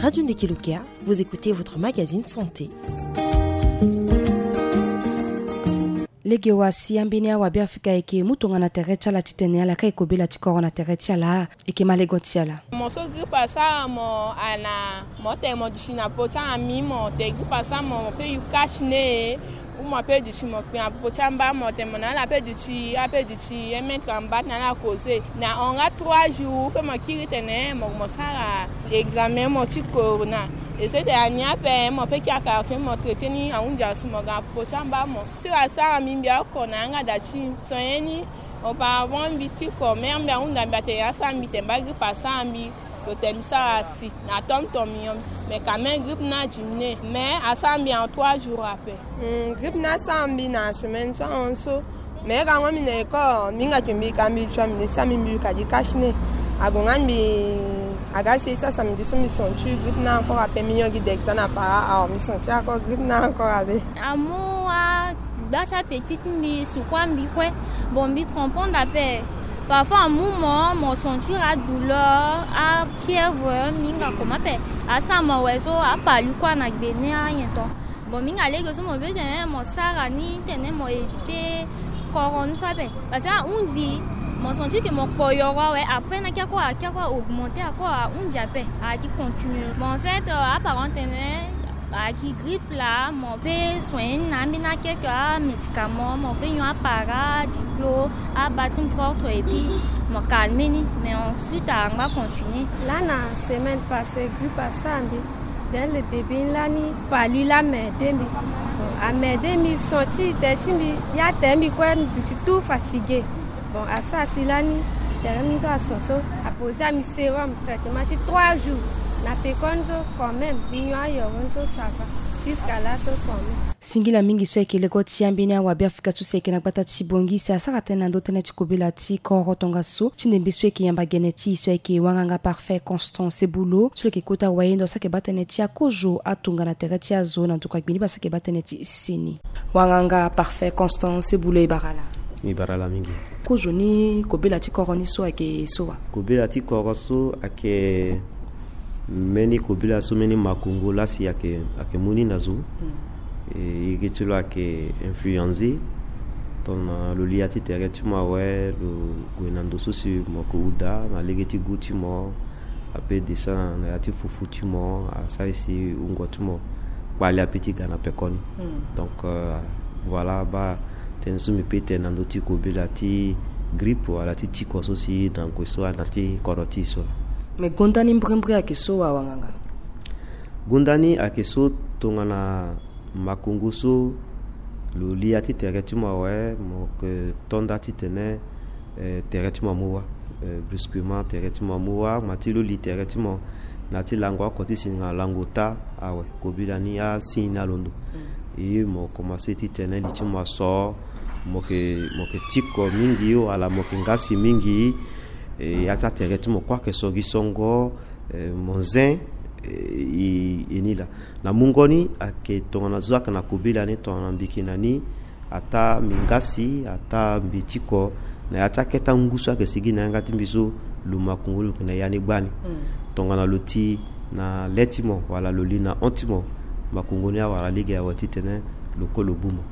Radio Ndeke Luka, vous écoutez votre magazine santé. Lege wa si ambeni awabe Afrika ayeke mu tongana tere ti ala titene ala kiri kobela ti koro na tere ti ala, e yeke ma lego ti ala. Mo so grippe asara mo, ana mo tene mo duti na popo ti ami, mo tene grippe asara mo, mo pe yu cache-nez, ou mo pe duti mo kpe na popo ti amba, mo tene mo na ala pe duti, ape duti un mètre na mba ti na ala causer. Na hon nga trois jours, ou pe mo kiri tene mo, mo sara examen mo ti corona. E se tene ani ape mo pe kiri na quartier mo traiter ni, ahunzi asu mo ga na popo ti amba mo. Sira asara mbi mbi oko na yanga da ti. So ye ni, auparavant mbi ti ko, mère mbi ahunda mbi atene asara mbi tene mba grippe asara mbi. Lo tene mbi sara si na tonton mignon. Mais quand même grippe ni adiminuer. Mais asara mbi en trois jours ape. Hmm, grippe ni asara mbi na semaine so ahon so. Mais ka ngo mbi na école, mbi hinga ke mbi ka mbi tua mbi ne ti ami mbi ka gi cache-nez. Agonga mbi aga si ti asa mbi ti so mbi senti grippe ni encore ape, mbi yongi directeur na para, ah, mbi senti encore grippe ni encore ape. Amu agba ti apeti ti mbi, sukua mbi kue. Bon, mbi comprendre ape. Parfois amu mo, mo sentir adouleur, afièvre, mbi hinga comment ape. Asara mo awe so, apalu kue na gbe ni anyen ton. Bon, mingi alege so mo pe tene mo sara ni tene mo éviter koro ni so ape. Parce que ahunzi mo sentir que mo kpo yoro awe, après na kia kue akia kue augmenter, ako ahunzi ape, aki continuer. Bon, en fait, euh, aparent tene aki grippe la, mo pe soigner ni na ambeni akelke amédicament, mo pe nyon apara diplo, abattre ni propre et puis mo calmer ni. Mais ensuite angba continuer. Lani semaine passée grippe asara mbi. Dans le début lani palu la amerde mbi. Bon, amerde mbi, son ti tere ti mbi, ya tere mbi kue, mbi duti tout fatigué. Bon, asara si lani tere mbi so ason so, aposer mbi sérum, traitement ti trois jours. Na pekoni so quand même mbi nyon ayoro ni so, ça va. Jusqu'à là so quand même. Singila mingi so ayeke lego ti ambeni awabe Afrika so si ayeke na gbata ti Bangui, si asara tënë na ndö tënë ti kobela ti koro tongaso ti ndembe so ayeke yamba gene ti e so ayeke wanganga Parfait Constant Sebulo, so lo yeke kota wayendo so ayeke baa tënë ti akozo atongana tere ti azo na ndokua gbiniba so ayeke baa tënë ti seni. Wanganga Parfait Constant Sebulo, e bara ala. E bara ala mingi. Kozo ni kobela ti koro ni so ayeke so wa? Kobela ti koro so ayeke mbeni kobela so mbeni makongo laa si ayeke, ayeke mu ni na zo. Mm. E, iri ti lo ayeke influencer tongana lo li ya ti tere ti mo awe, lo gue na ndo so si mo yeke hu daa na lege ti gu ti mo, ape descend na ya ti fufu ti mo, asara si wungo ti mo kpale ape ti ga na pekoni. Mm. Donc, euh, voilà, baa tënë so mbi pe tene na ndö ti kobela ti grippe wala ti tiko so si na gue so ana ti kodro ti e so laa. Me gonda ni mbrimbri ayeke so wa, wanganga? Gonda ni ayeke so tongana makongo so lo li ya ti tere ti mo awe, mo yeke to nda titene, eh, tere ti mo amu wâ. Eh, brusquement tere ti mo amu wâ, ma ti lo li tere ti mo na ya ti lango oko ti singa lango ota awe, kobela ni asi na londo. Mm. E, mo komanse titene li ti mo aso, mo yeke, mo yeke tiko mingi wala mo yeke ngasi mingi. E, ya ti atere ti mo kue ayeke so gi songo, eh, mo zen, eh, e, e ni laa. Na mungo ni ayeke tongana zo ayeke na kobela ni, tongana mbi yeke na ni, ataa mbi ngasi, ataa mbi tiko, na ya ti akete angu so ayeke sigi na yanga ti mbi so, lo makongo lo yeke na ya ni gbani. Mm. Tongana lo ti na le ti mo wala lo li na hon ti mo, makongo ni awara lege awe titene lo kue lo gbu mo.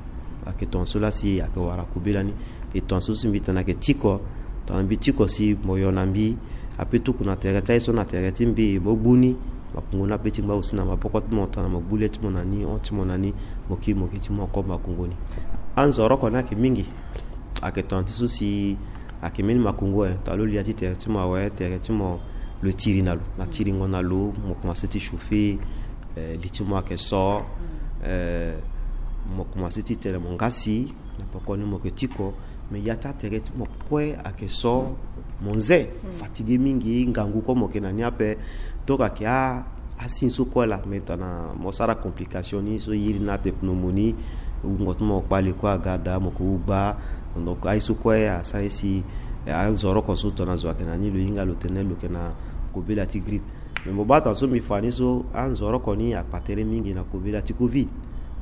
Ayeke tongaso laa si ayeke wara kobela ni. E tongaso si mbi tene ayeke tiko, tongana mbi tiko si mo yo na mbi, ape tuku na tere ti aye so na tere ti mbi, mo gbu ni, makongo ni ape ti ngba aussi na maboko ti mo, tongana mo gbu le ti mo na ni, hon ti mo na ni, mo kiri mo gi ti mo oko makongo ni. Anzoroko ni ayeke mingi. Ayeke tongana ti so si ayeke mbeni makongo, eh, tongana lo li ya ti tere ti mo awe, tere ti mo lo tiri na lo, na tiringo na lo, mo komanse ti chauffer, eh, li ti mo ayeke so, eh, mo komanse ti tene mo ngasi, na pekoni mo yeke tiko, me ya ti atere ti mo kue ayeke so, mo nze, mm, fatigué mingi, ngangu kue mo yeke na ni ape. Donc ayeke a, asigne so kue laa, me tongana mo sara complication ni so iri ni atene pneumonie, wungo ti mo kpale kue aga daa, mo yeke wu gba. Donc aye so kue asara ye si, eh, anzoroko so tongana zo ayeke na ni lo hinga lo tene lo yeke na kobela ti grippe. Me mo baa tongana so mbi fa ni so, anzoroko ni akpa tere mingi na kobela ti covid.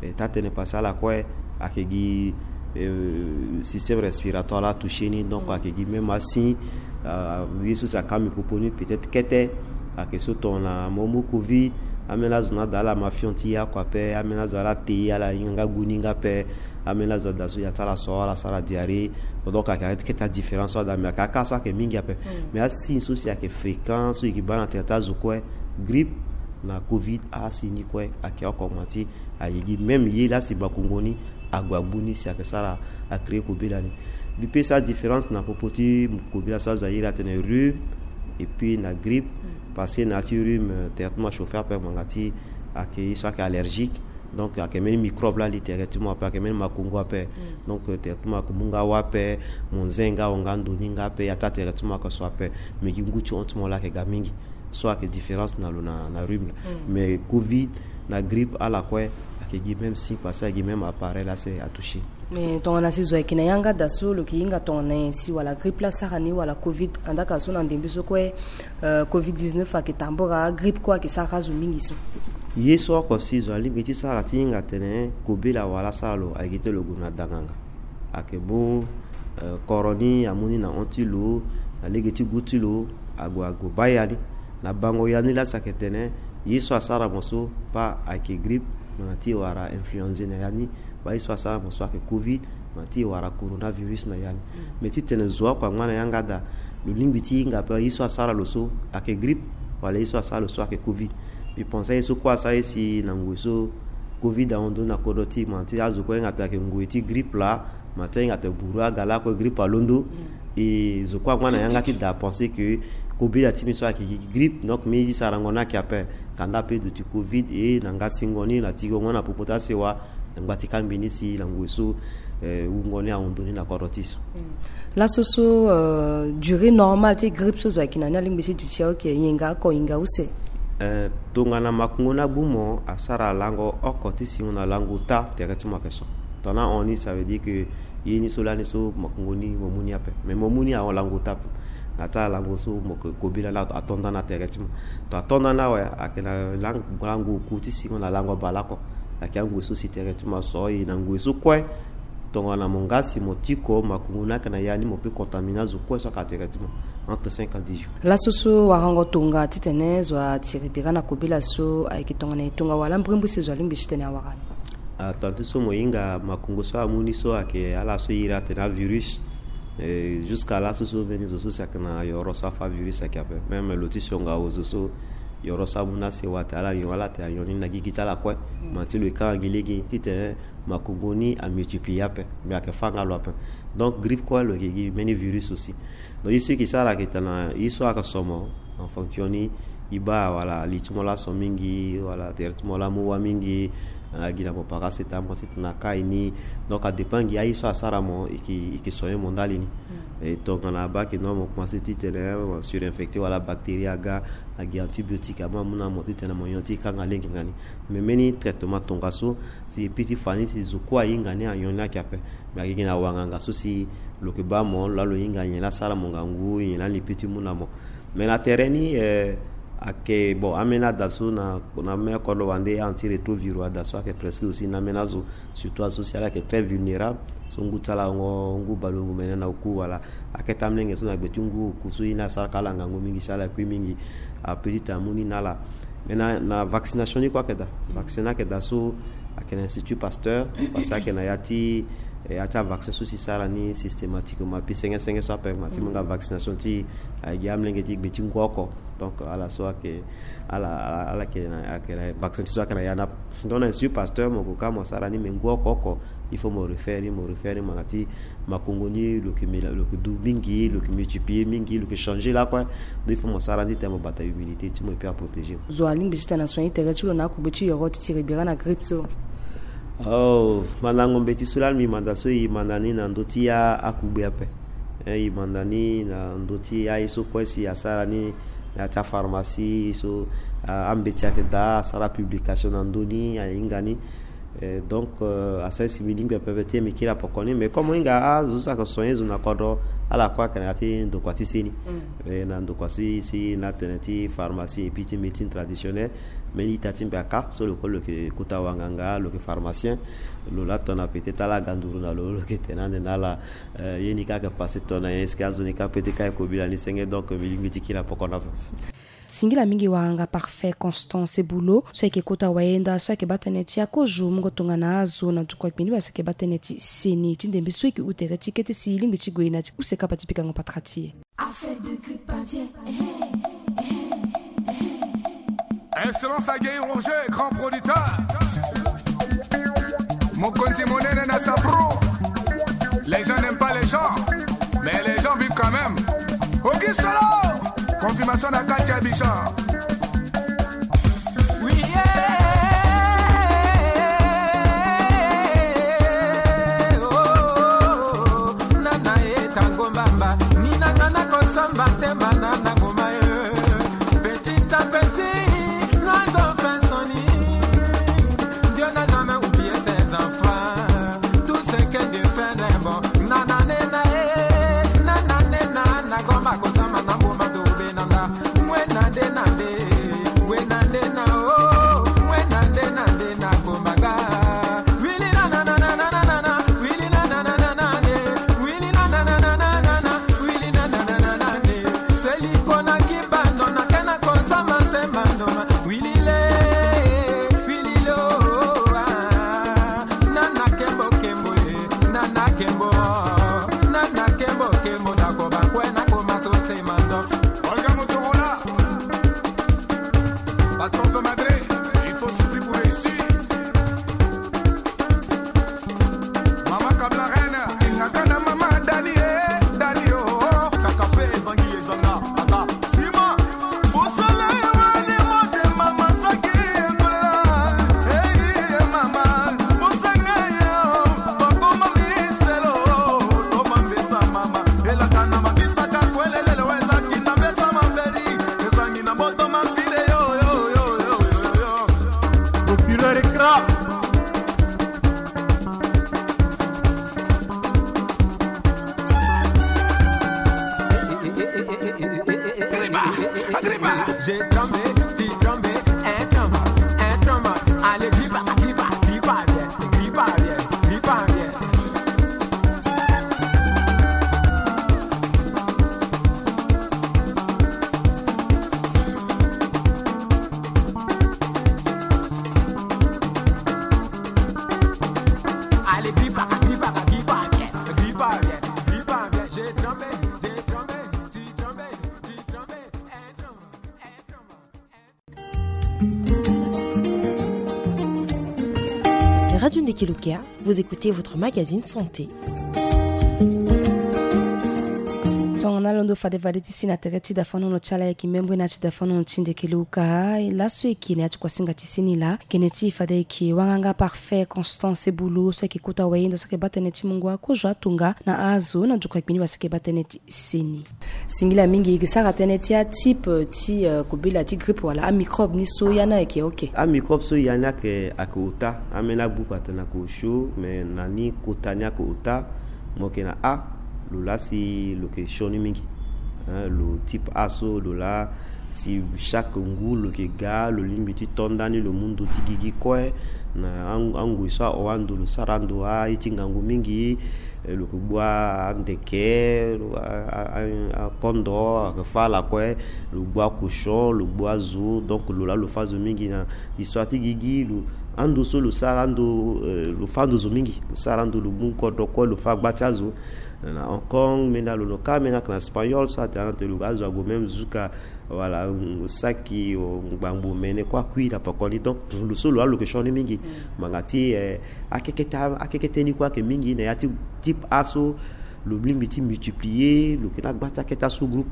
Eh, taa tënë passé ala kue ayeke gi, eh, système respiratoire laa atouché ni, donc, mm, ayeke gi même asigne, ah, ye so si akamba mbi popo ni peut-être kete, ayeke so tongana mo mu covid, ambeni azo ni ada ala mafion ti ye oko ape, ambeni azo ala te ye ala hinga nga gu ni nga ape, ambeni azo ada so ya ti ala so ala sara diarrhée. Donc ayeke arrêté kete adifférence so ada, me ayeke aka so ayeke mingi ape. Mm. Me asigne so si ayeke fréquent so e yeke baa na tere ti azo kue, grippe na covid, asigne ni kue ayeke oko ma ti ayeke gi même ye laa si makongo ni ague agbu ni si ayeke sara acréer kobela ni. Mbi pe sara différence na popo ti kobela so azo airi atene rhume et puis na grippe. Mm. Parce que na ya ti rhume, euh, tere ti mo achauffer ape ngbanga ti ayeke ye so ayeke allergique. Donc ayeke mbeni microbe laa ali tere ti mo ape, ayeke mbeni makongo ape. Mm. Donc, euh, tere ti mo ayeke mu nga wâ ape, mo nze nga, ahon nga ndo ni nga ape, ya ti atere ti mo ayeke so ape. Me gi ngu ti hon ti mo laa ayeke ga mingi. So ayeke différence na lo na, na rhume laa. Mm. Mais covid na grippe ala kue ayeke gi même signe, parce que ayeke gi même appareil laa si atouché. Mais tongana si zo ayeke na yanga da so lo yeke hinga tongana nyen si wala grippe laa asara ni wala covid, andaa ka so na ndembe so kue, euh, covid dix-neuf ayeke tambora, grippe kue ayeke sara azo mingi so. Ye so oko si zo alingbi ti sara ti hinga atene kobela wala asara lo, ayeke ti lo gue na danganga. Ayeke mu, eh, koro ni amu ni na hon ti lo, na lege ti gu ti lo, ague ague baa ya ni. Na bango ya ni laa si ayeke tene ye so asara mo so, pas ayeke grippe, Mo na ti e wara influenze na ya ni. Baa ye so asara mo so ayeke covid, mo na ti e wara coronavirus na ya ni. Mais titene zo oko angba na yanga daa, lo lingbi ti hinga ape ye so asara lo so ayeke grippe, wala ye so asara lo so ayeke covid. Mbi pense aye so kue asara ye si na ngoi so covid ahon ndoni na kodro ti e, mo na ti azo kue ahinga atene ayeke ngoi ti grippe laa, mo na ti ahinga atene buru aga lakue grippe alondo. E zo kue angba na yanga ti daa pense que kobela ti mbi so ayeke gi grippe, donc mbi ye ti sarango ni ayeke ape. Kanda ape duti covid e na nga singo ni na tigongo na popo ti asewa, na ngba ti kangbi ni si na ngoi so, eh, wungo ni ahon ndoni na kodro ti e so. Laso so, euh, durée normale ti grippe so zo ayeke na ni alingbi ti duti aoke, hinga oko, hinga use? Eh, tongana makongo ni agbu mo, asara lango oko ti singo na lango ota tere ti mo ayeke so. Tongana ahon ni, ça veut dire que ye ni so lani so makongo ni mo mu ni ape. Mais mo mu ni ahon lango ota ape. Na ti ala lango so mo yeke kobela ni ato ato nda na tere ti mo. To ato nda ni awe, ayeke na lang-, lango oku ti singo na lango bale oko. Ayeke angoi so si tere ti mo aso e na ngoi so kue. Tongana mo nga si mo tiko makongo ni ayeke na ya ni, mo peut contaminer azo kue so ayeke na tere ti mo entre cinq à dix jours. Laso so warango tonga titene zo atiri bira na kobela so ayeke tongana e tonga wala mbrimbri si zo alingbi titene awara ni? Ah, tongana ti so mo hinga makongo so amu ni so ayeke ala so e iri atene avirus. Eh, jusqu'à laso so mbeni zo so si ayeke na yoro so afa virus ayeke ape. Même lo ti sionga awe zo so yoro so amu ni asewa atene ala nyon, ala tene anyon ni na gigi ti ala kue. Ma ti lo e kanga gi lege titene makongo ni amultiplier ape. Mais ayeke fâ nga lo ape. Donc grippe kue lo yeke gi mbeni virus aussi. Donc ye so e yeke sara ayeke tene ye so ayeke so mo, en fonction ni, e baa wala li ti mo laa so mingi, wala tere ti mo laa amu wâ mingi, ah, gi na mo paracetamol titene akai ni. Donc adépend gi aye so asara mo, e yeke, e yeke soigner mo ndali ni. E tongana abaa ayeke non, mo commencer titene, eh, surinfecté wala bactérie aga, agi antibiotique amu amu na mo titene mo nyon ti e kanga lege nga ni. Mais mbeni traitement tongaso, si e pi ti fa ni si zo kue ahinga ni anyon ni ayeke ape. Mais ayeke gi na wanganga so si lo yeke baa mo laa lo hinga nyen laa asara mo ngangu, nyen laa ni pi ti mu na mo. Mais na tere ni, eh, ayeke bon, ambeni ada so na, na ambeni kodro wande, antirétroviraux ada so ayeke presque aussi na ambeni azo, surtout azo so si ala yeke très vulnérable. So ngu ti ala hongo, ngu baleongo mene na oku wala akete amolenge so na gbe ti ngu oku so ye ni asara ka ala ngangu mingi si ala kui mingi, ape titene amu ni na ala. Mais na, na vaccination ni kue ayeke daa. Vaccin ni ayeke daa so ayeke na Institut Pasteur, parce que ayeke na ya ti, eh, ya ti avaccin so si sara ni systématiquement, ape senge senge so ape ma ti mu nga vaccination ti, eh, gi amolenge ti gbe ti ngu oko. Donc ala so ayeke, ala, ala, ala yeke na, ayeke na vaccin ti so ayeke na ya ni ape. Donc na Institut Pasteur mo gue ka mo sara ni, mais ngu oko oko il faut mo refaire ni, mo refaire ni, mo na ti makongo ni lo yeke mila, lo yeke du mingi, lo yeke multiplier mingi, lo yeke changer lakue. Donc il faut mo sara ni titene mo bata immunité ti mo et puis aprotéger mo. Zo alingbi titene asoigner tere ti lo na akugbe ti yoro ti tiri bira na grippe so? Oh, mandango mbeti so lani mbi manda so e manda ni na ndö ti a, akugbe ape. Eh, e manda ni na ndö ti aye so kue si asara ni na ya ti apharmacie so, ah, ambeti ayeke daa, asara publication na ndö ni, ahinga ni. Eh, donc, euh, asara si mbi lingbi ape ti e mbi kiri apoko ni. Mais comme mo hinga azo so ayeke soigner zo na kodro, ala kue ayeke na ya ti ndokua ti seni. Eh, na ndokua si, si na tene ti pharmacie et puis ti médecine traditionnelle. Mais ita ti mbi aka so lo kue lo yeke kota wanganga, lo yeke pharmacien. Lo laa tongana peut-être ala ga nduru na lo, lo yeke tene ande na ala, eh, ye ni kâ ayeke passé tongana nyen, est-ce que azo ni kâ peut-être kâ e kobela ni senge. Donc mbi lingbi ti kiri apoko na ape. Singila mingi wanganga Parfait Constant Sebulo so ayeke kota wayenda so ayeke baa tënë ti akozo mungo tongana azo na ndokua gbiniba so ayeke baa tënë ti seni ti ndembe so e yeke hu tere ti kete si e lingbi ti gue na ti use kapa ti pikango patara ti e. Affaire de grippe aviaire. Excellence Aguerri Roger, grand producteur. Mokonzi monene na Sapro. Les gens n'aiment pas les gens, mais les gens vivent quand même. Oki solo. Confirmation na kati ya Abidjan. Oui, yeah. Oh, nana ye tango mbamba. Ni nanga na kosamba te, mana na ngoma ye. Petit à petit, nous avons fait sonner. Dieu n'a jamais oublié ses enfants. Tout ce que Dieu fait n'est bon. Nananena, eh, nananena, na goma kosama na mboma dobe nanda. Mwe nande nande, mwe nande na, oh, mwe nande nande na kombaga. Wili na na na na na na na, wili na na na na na na, wili na na na na na na, wili na na na na na na. Seliko na kibando na kena kosama se mandoma. Wili le, wili lo. Olga Motorola, patron de Madrid, il faut souffrir pour réussir. Mama Kabla Reine, ingaka na mama Dani, eh, Dani, oh, oh. Kaka pe ezangi, ezanga, aka. Sima, bosala ye wani mote mama saki ekola. Hey, mama, bosanga ye, oh. Bakoma miselo, toma mbesa mama. Elaka na mabisaka kwelelele weza kinda mbesa mamberi. Ezangi na moto mapile yo, yo, yo, yo, yo, yo. Populaire écran. J'ai tremblé, tu trembles, un tremble, un tremble. Allez, gripa, gripa, gripa, viens, gripa, viens, gripa, viens. Allez, gripa, gripa, gripa, viens, gripa, viens, gripa, viens. J'ai tremblé, j'ai tremblé, tu trembles, tu trembles, un tremble, un tremble. Radio Ndeke Luka, vous écoutez votre magazine santé. Tongana alondo fade fade ti si na tere ti dafanono ti ala ayeke membre na ya ti dafanono ti Ndeke Luka. Laso eke na ya ti kuasinga ti si ni laa, gene ti fade eke wanganga Parfait Constance Ebulu so ayeke kota wayenda so ayeke baa tënë ti mungo akozo atunga na azo na nduku agbeni wala so ayeke baa tënë ti seni. Singila mingi, e ke sara tënë ti atype ti, eh, kobela ti grippe wala amicrobe ni so ya ni ayeke oke. Amicrobe so ya ni ayeke, ayeke ota. Ambeni agbuku atene ayeke osio, me na ni kota ni ayeke ota. Mo yeke na a, lo laa si lo yeke sioni mingi. Hein, lo type A so lo laa si chaque ngu lo yeke ga, lo lingbi ti to ndani, lo mu ndo ti gigi kue. Na ang-, angoi so ahon ando, lo sara ando aye ti ngangu mingi. Eh, lo yeke gbu andeke, lo, a, a, a, akondo, ayeke fâ ala kue, lo gbu akochon, lo gbu azo, donc lo laa lo fâ zo mingi na histoire ti gigi, lo, ando so lo sara ando, eh, lo fâ ando zo mingi, lo sara ando, lo gbu kodro kue, lo fâ gba ti azo. Na Hong Kong, mbeni alondo kâ, mbeni ayeke na Espagnol so atene ando lo azo ague même jusqu'à Voilà, mm, saki, o, ngbangbo mene kue akui na pekoni. Donc lo so lo laa lo yeke sioni mingi. Mm. Ngbanga ti, eh, akekete, akekete ni kue ayeke mingi na ya ti type A so lo lingbi ti multiplier, lo yeke na gba ti akete asous-groupe.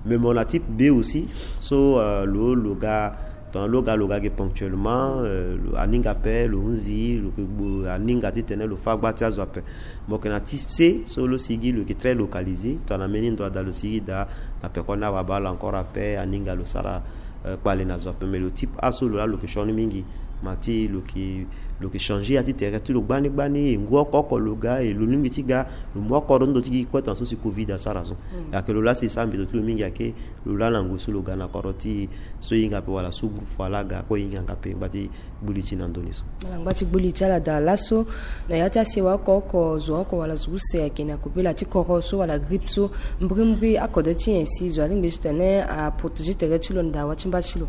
Mais mo na type B aussi so, euh, lo, lo ga, tongana lo ga, lo ga ge ponctuellement, euh, lo, aninga ape, lo hunzi, lo yeke gbo, aninga titene lo fâ gba ti azo ape. Mo yeke na type C so lo sigi lo yeke très localisé, tongana mbeni ndo ada lo sigi daa, na pekoni awa abaa lo encore ape, aninga lo sara, euh, kpale na zo ape. Mais lo type A so lo laa lo yeke sioni mingi. Ma ti lo yeke, lo yeke changer ya ti tere ti lo gbani gbani, e ngu oko oko lo ga, e lo lingbi ti ga, lo mu oko ndo ti gi kue tongana so si covid asara so. Mm. Ayeke lo laa si e sara mbeto ti lo mingi ayeke, lo laa na ngoi so lo ga na kodro ti so e hinga ape wala sous-groupe, wala aga kue e hinga nga ape ngba ti gbu li ti na ndoni so. Ala ngba ti gbu li ti ala daa laso, na ya ti asewa oko oko, zo oko wala zo use ayeke na kobela ti koro so wala grippe so, mbrimbri akode ti nyen si zo alingbi titene aprotéger tere ti lo na dawa ti mba ti lo?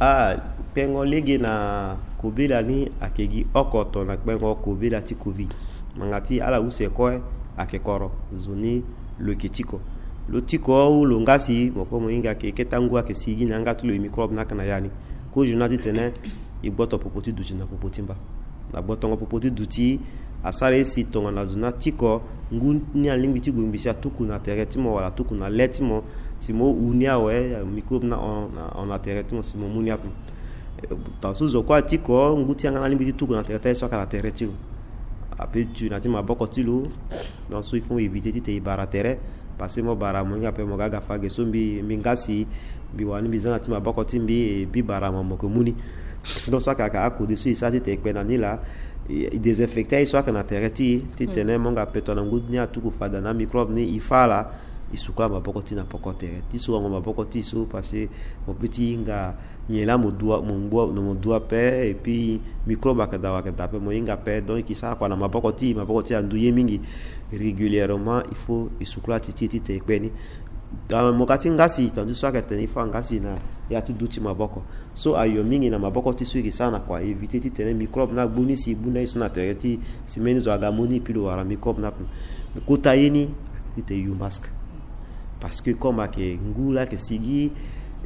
Ah, kpengo lege na kobela ni ayeke gi oko tongana kpengo kobela ti covid. Ngbanga ti ala use kue ayeke koro, zo ni lo yeke tiko. Lo tiko ou lo nga si mo kue mo hinga ayeke kete angu ayeke sigi na yanga ti lo, e microbe ni ayeke na ya ni. Kozo ni atitene e gboto popo ti duti na popo ti mba. Na gbotongo popo ti duti asara ye si tongana zo ni atiko, ngu ni alingbi ti gue ngbi si atuku na tere ti mo wala atuku na le ti mo, si mo hu ni awe, microbe ni ahon na, ahon na tere ti mo si mo mu ni ape. Eh, tongana so zo kue atiko, ngu ti yanga ni alingbi ti tuku na tere ti aye so ayeke na tere ti lo. Ape tu na ti maboko ti lo. Donc so il faut éviter titene e bara tere. Parce que mo bara mo hinga ape mo ga ga fa ge so mbi, mbi nga si, mbi wani mbi za na ti maboko ti mbi, e, mbi bara mo, mo yeke mu ni. Donc so ayeke, ayeke akode so e sara titene e kpe na ni laa, e, e désinfecter aye so ayeke na tere ti e, titene mo nga ape tongana ngu ni atuku fada na microbe ni e fâ ala, e sukula maboko ti e na poko tere. Ti sukulango maboko ti e so, parce que mo peut ti hinga nyen laa mo dua, mo ngbua, mo dua ape, et puis microbe ayeke daa, ayeke daa ape, mo hinga ape. Donc e ke sara kua na maboko ti e, maboko ti e andu ye mingi. Régulièrement il faut e sukula ti e ti e titene e kpe ni. Tongana mo ga ti nga si, tongana ti so ayeke tene e fâ nga si na ya ti duti maboko. So ayo mingi na maboko ti e so e ke sara na kua éviter titene microbe ni agbu ni si e gbu ni aye so na tere ti e, si mbeni zo aga mu ni et puis lo wara microbe ni ape. Me kota ye ni, titene e yu masque. Parce que comme ayeke ngu laa ayeke sigi,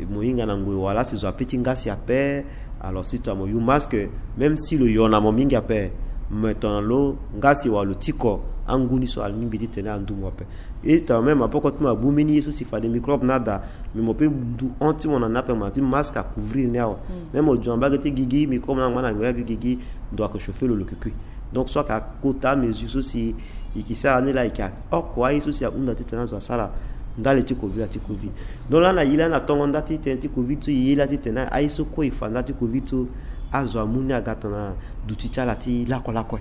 mo hinga na ngoi wala si zo ape ti ngasi ape. Alors si tongana mo yu masque, même si lo yo na mo mingi ape, mais tongana lo ngasi wala lo tiko, angu ni so alingbi titene andu mo ape. E tongana même maboko ti mo abu mbeni ye so si fade microbe ni ada, mais mo pe ndu hon ti mo na ni ape, mo na ti masque acouvrir ni awe. Même mo zo na mbage ti gigi, microbe ni angba na ngoi agi gigi, ndo ayeke chauffer lo, lo yeke kui. Donc so ayeke akota amesure so si e yeke sara ni laa, e yeke oko aye so si ahunda titene azo asara ndali ti kobela ti covid. Donc laa na e laa na tongo nda ti tënë ti covid so, e ye laa titene aye so kue e fa nda ti covid so, azo amu ni aga tongana duti ti ala ti lakue lakue.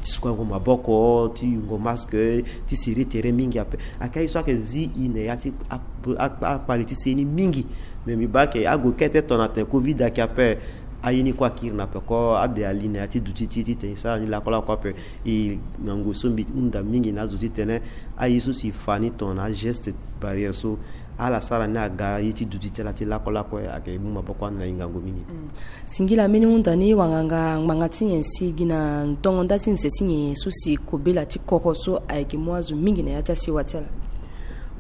Ti sukuango maboko, ti yungo masque, ti serrer tere mingi ape. Ayeke aye so ayeke zi e na ya ti a- a- akpale ti se ni mingi. Mais mbi baa ayeke ague kete tongana tene covid ayeke ape, aye ni kue akiri na peko, ade ali na ya ti duti ti e titene e sara ni lakue lakue ape. E na ngoi so mbi hunda mingi na azo titene aye so si e fa ni tongana ageste barrière so, ala sara ni aga ye ti duti ti ala ti lakue lakue, ayeke mu maboko ande na e ngangu mingi. Singila mbeni hunda ni wanganga ngbanga ti nyen si gi na tongo nda ti nze ti nyen so si kobela ti koro so ayeke mu azo mingi na ya ti asewa ti ala?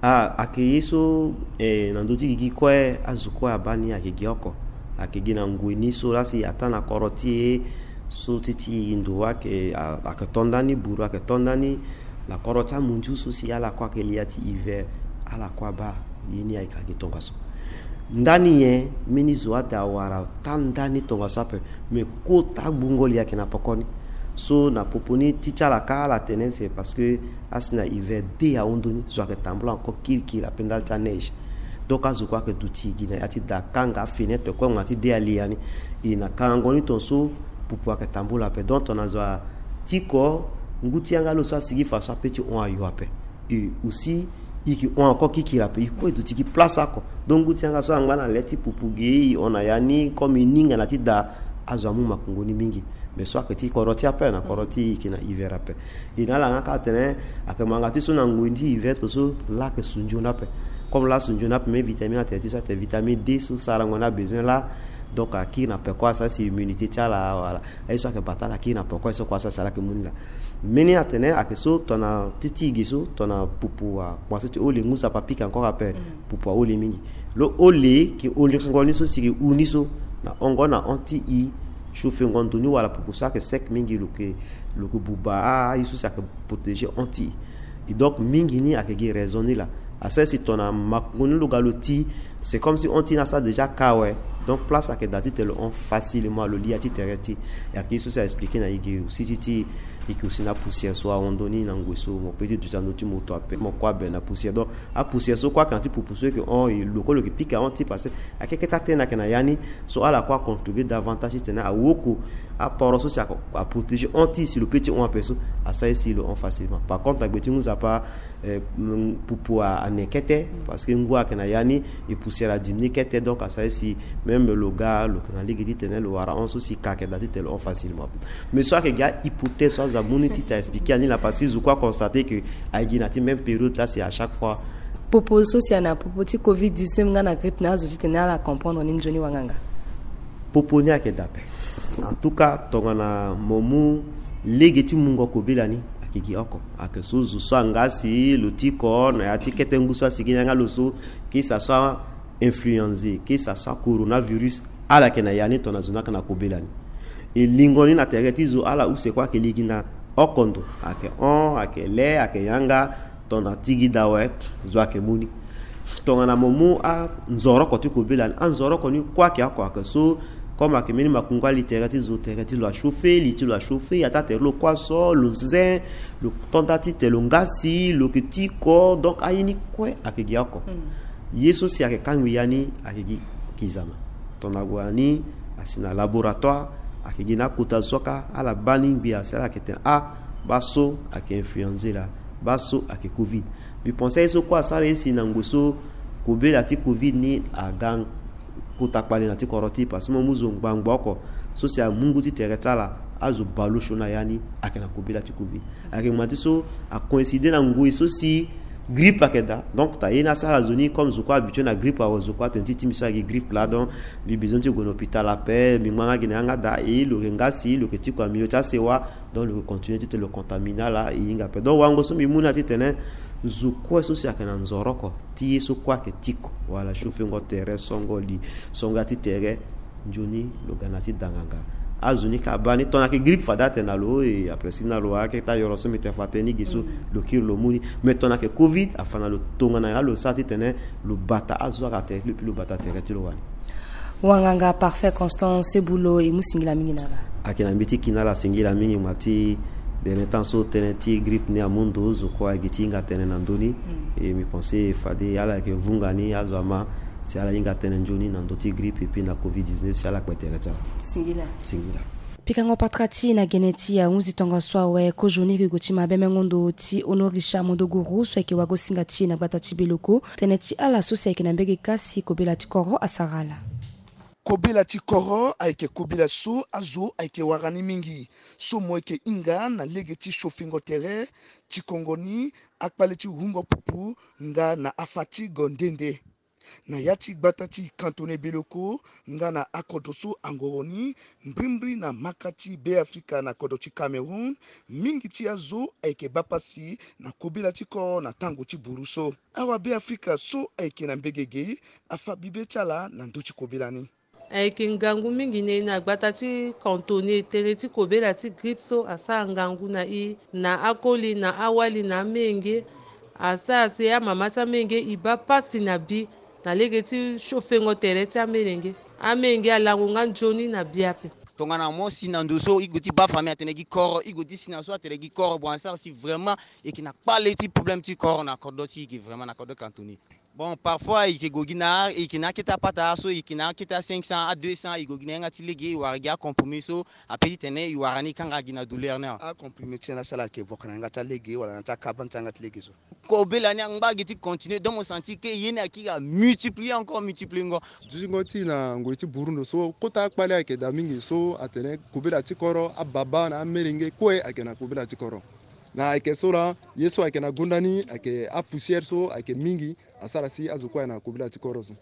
Ah, ayeke ye so, eh, na ndö ti gigi kue azo kue abaa ni ayeke gi oko. Ayeke gi na ngoi ni so laa si ataa na koro ti e so ti ti ndo ayeke, a- ayeke to ndani, buru ayeke to ndani. Na koro ti amundiu so si ala kue ayeke li ya ti hiver, ala kue abaa ye ni ayeke agi tongaso. Ndani nyen? Mbeni zo ada awara taa ndani tongaso ape. Mais kota gbungo li ayeke na pekoni. So na popo ni ti ti ala kâ ala tene c'est parce que asi na hiver de ahon ndoni, zo ayeke tambula encore kirikiri ape ndali ti aneige. Donc azo kue ayeke duti gi na ya ti da kanga afenêtre kue ngbanga ti de ali ya ni. E na kangango ni tongaso pupu ayeke tambula ape. Donc tongana zo atiko, ngu ti yanga lo so asigi fa so ape ti hon ayo ape. Et aussi e yeke hon encore kirikiri ape, e kue e duti gi place oko. Donc ngu ti yanga so angba na le ti pupu ge, e hon na ya ni comme e ninga na ti da, azo amu makongo ni mingi. Mais so ayeke ti kodro ti e ape, na kodro ti e, e yeke na hiver ape. E na ala nga kâ atene ayeke ngbanga ti so na ngoi ti hiver tongaso laa ayeke sunzoni ape. Comme laa asunzoni ape, même vitamine atene ti so atene vitamine D so sarango ni abezoin laa. Donc akiri na peko asara si immunité ti ala, voilà. Aye so ayeke bata ala kiri na peko, aye so kue asara si ala yeke mu ni laa. Mbeni atene ayeke so tongana ti ti e ge so tongana pupu akomanse ti hole, ngu so ape apika encore ape, pupu ahole mingi. Lo hole, ke holengo ni so si ke hu ni so na hongo na hon ti e, chauffengo ndo ni wala pupu so ayeke sec mingi, lo ke, lo ke buba aye so si ayeke protéger hon ti e. Et donc mingi ni ayeke gi raison ni laa. Asara si tongana makongo ni lo ga lo ti, c'est comme si hon ti ni asara déjà ka awe. Donc place ayeke daa titene lo hon facilement, lo li ya ti tere ti e. Ayeke ye so si a expliquer na e ge aussi ti ti e yeke aussi na apoussière so ahon ndoni na ngoi so, mo pe ti duti na ndö ti moto ape, mo kue abe na poussière. Donc apoussière so kue ayeke na ti pupu so e yeke hon, e lo kue lo yeke pika hon ti e parce que ayeke kete atene ayeke na ya ni. So ala kue acontribuer davantage titene awoko aporo so si a- aprotéger hon ti e si lo pe ti hon ape so, asara si lo hon facilement. Par contre na gbe ti ngu nzapa, eh, mm, pupu a- ane kete, parce que ngu ayeke na ya ni, e poussière adiminuer kete, donc asara si même lo ga lo yeke na lege titene lo wara hon so si ka ayeke daa titene lo hon facilement. Mais so ayeke gi ahypothèse so azo amu ni titene a expliquer ani laa, parce que zo kue aconstater que ayeke gi na ti même période laa si à chaque fois. Popo so si a na popo ti covid dix-neuf nga na grippe na azo titene ala comprendre ni nzoni wanganga. Popo ni ayeke daa ape. En tout cas tongana mo mu lege ti mungo kobela ni, ayeke gi oko. Ayeke so zo so anga si lo tiko na ya ti kete ngu so asigi ni yanga lo so, que ça soit influenza, que ça soit coronavirus, ala yeke na ya ni tongana zo ni ayeke na kobela ni. E lingo ni na tere ti zo, ala use kue ayeke lege na oko ndo, ayeke hon, ayeke le, ayeke yanga, tongana ti gi daa awe, zo ayeke mu ni. Tongana mo mu anzoroko ti kobela ni, anzoroko ni kue ayeke oko, ayeke so, comme ayeke mbeni makungu ali tere ti zo, tere ti lo achauffer, li ti lo achauffer, ataa tere ti lo kue aso, lo zen, lo to nda titene lo ngasi, lo yeke tiko, donc aye ni kue ayeke gi oko. Ye so si ayeke kangbi ya ni ayeke gi kizama. Tongana ague na ni asi na laboratoire, ayeke gi na akota zo so kâ, ala baa ni ngbia si ala yeke tene ah, baa so ayeke influenza laa, baa so ayeke covid. Mbi pense aye so kue asara ye si na ngoi so kobela ti covid ni aga kota kpale na ti kodro ti e, parce que mo mu zo ngbangbo oko so si amu ngu ti tere ti ala, azo bale osio na ya ni ayeke na kobela ti covid. Ayeke ngbanga ti so acoïncider na ngoi so si grippe ayeke daa. Donc tongana ye ni asara zo ni, comme zo kue habitué na grippe awe, zo kue atene ti ti mbi so ayeke gi grippe laa, donc mbi besoin ti gue na hôpital ape, mbi ngba nga gi na yanga daa. E lo yeke ngasi, lo yeke tiko na milieu ti asewa, donc lo yeke continuer titene lo contaminer ala, e hinga ape. Donc wango so mbi mu ni laa titene Zo kue so si ayeke na nzoroko ti ye so kue ayeke tiko, wala chauffengo tere, songo li, songo ya ti tere, nzoni lo ga na ti danganga. Azo ni ka baa ni tongana ayeke grippe fade atene na lo e, après si na lo ayeke ti ayoro so mbi tene fa tënë ni ge so, lo kiri lo mu ni. Mais tongana ayeke covid afa na lo tongana nyen laa lo sara titene lo bata azo so ayeke na tere ti lo, epui lo bata tere ti lo wani. Wanganga Parfait Constant Sebulo, e mu singila mingi na ala. Ayeke na mbi ti ki na ala singila mingi ma ti dernier temps so tënë ti grippe ni amu ndo, zo kue ayeke gi ti hinga tënë na ndö ni. E mbi pense fade ala yeke vunga ni azo ama si ala hinga tënë nzoni na ndö ti grippe epui na covid dix-neuf si ala kpe tere ti ala. Singila. Singila. Pikango patara ti e na gene ti ahunzi tongaso awe, kozoni e yeke gue ti mabe mengo ndo ti Honoré Richard Mondoguru so ayeke wagosinga ti e na gbata ti Beloko. Tënë ti ala so si ayeke na mbege kasi kobela ti koro asara ala. Kobela ti koro ayeke kobela so azo ayeke wara ni mingi, so mo yeke hinga na lege ti chauffengo tere, ti kongo ni, akpale ti hungo pupu, nga na afatigue nde nde. Na ya ti gbata ti cantonné Beloko, nga na akodro so angoro ni, mbrimbri na maka ti Beafrika na kodro ti Cameroun, mingi ti azo ayeke baa pasi na kobela ti koro na tango ti buru so. Awa Beafrika so ayeke na mbege ge, afa bibe ti ala na ndö ti kobela ni. Ayeke ngangu mingi na e na gbata ti cantonné, tënë ti kobela ti grippe so asara ngangu na e, na akoli, na awali, na amenge. Asara si amama ti amenge e baa pasi na bi na lege ti chauffengo tere ti amenge. Amenge alango nga nzoni na bi ape. Tongana mo si na ndo so e gue ti baa famille atene gi koro, e gue ti si na so atene gi koro, bon asara si vraiment e yeke na kpale ti problème ti koro na kodro ti e ge, vraiment na kodro cantonné. Bon, parfois e yeke gue gi na, e yeke na akete apata so, e yeke na akete a cinq cents, a deux cents, e gue gi na yanga ti lege, e wara gi acomprimé so ape titene e wara ni kanga gi na douleur ni awe. Acomprimé ti tene asara ayeke voko na yanga ti alege wala na ti akabane ti yanga ti lege so? Kobela ni angba gi ti continuer, donc mo sentir que ye ni akiri amultiplier encore, multiplier ngo. Dutingo ti e na ngoi ti buru ndo so, kota akpale ayeke daa mingi so atene kobela ti koro, ababa na amelenge kue ayeke na kobela ti koro. Na ayeke so laa, ye so ayeke na gonda ni ayeke apoussière so ayeke mingi, asara si azo kue ayeke na kobela ti koro so.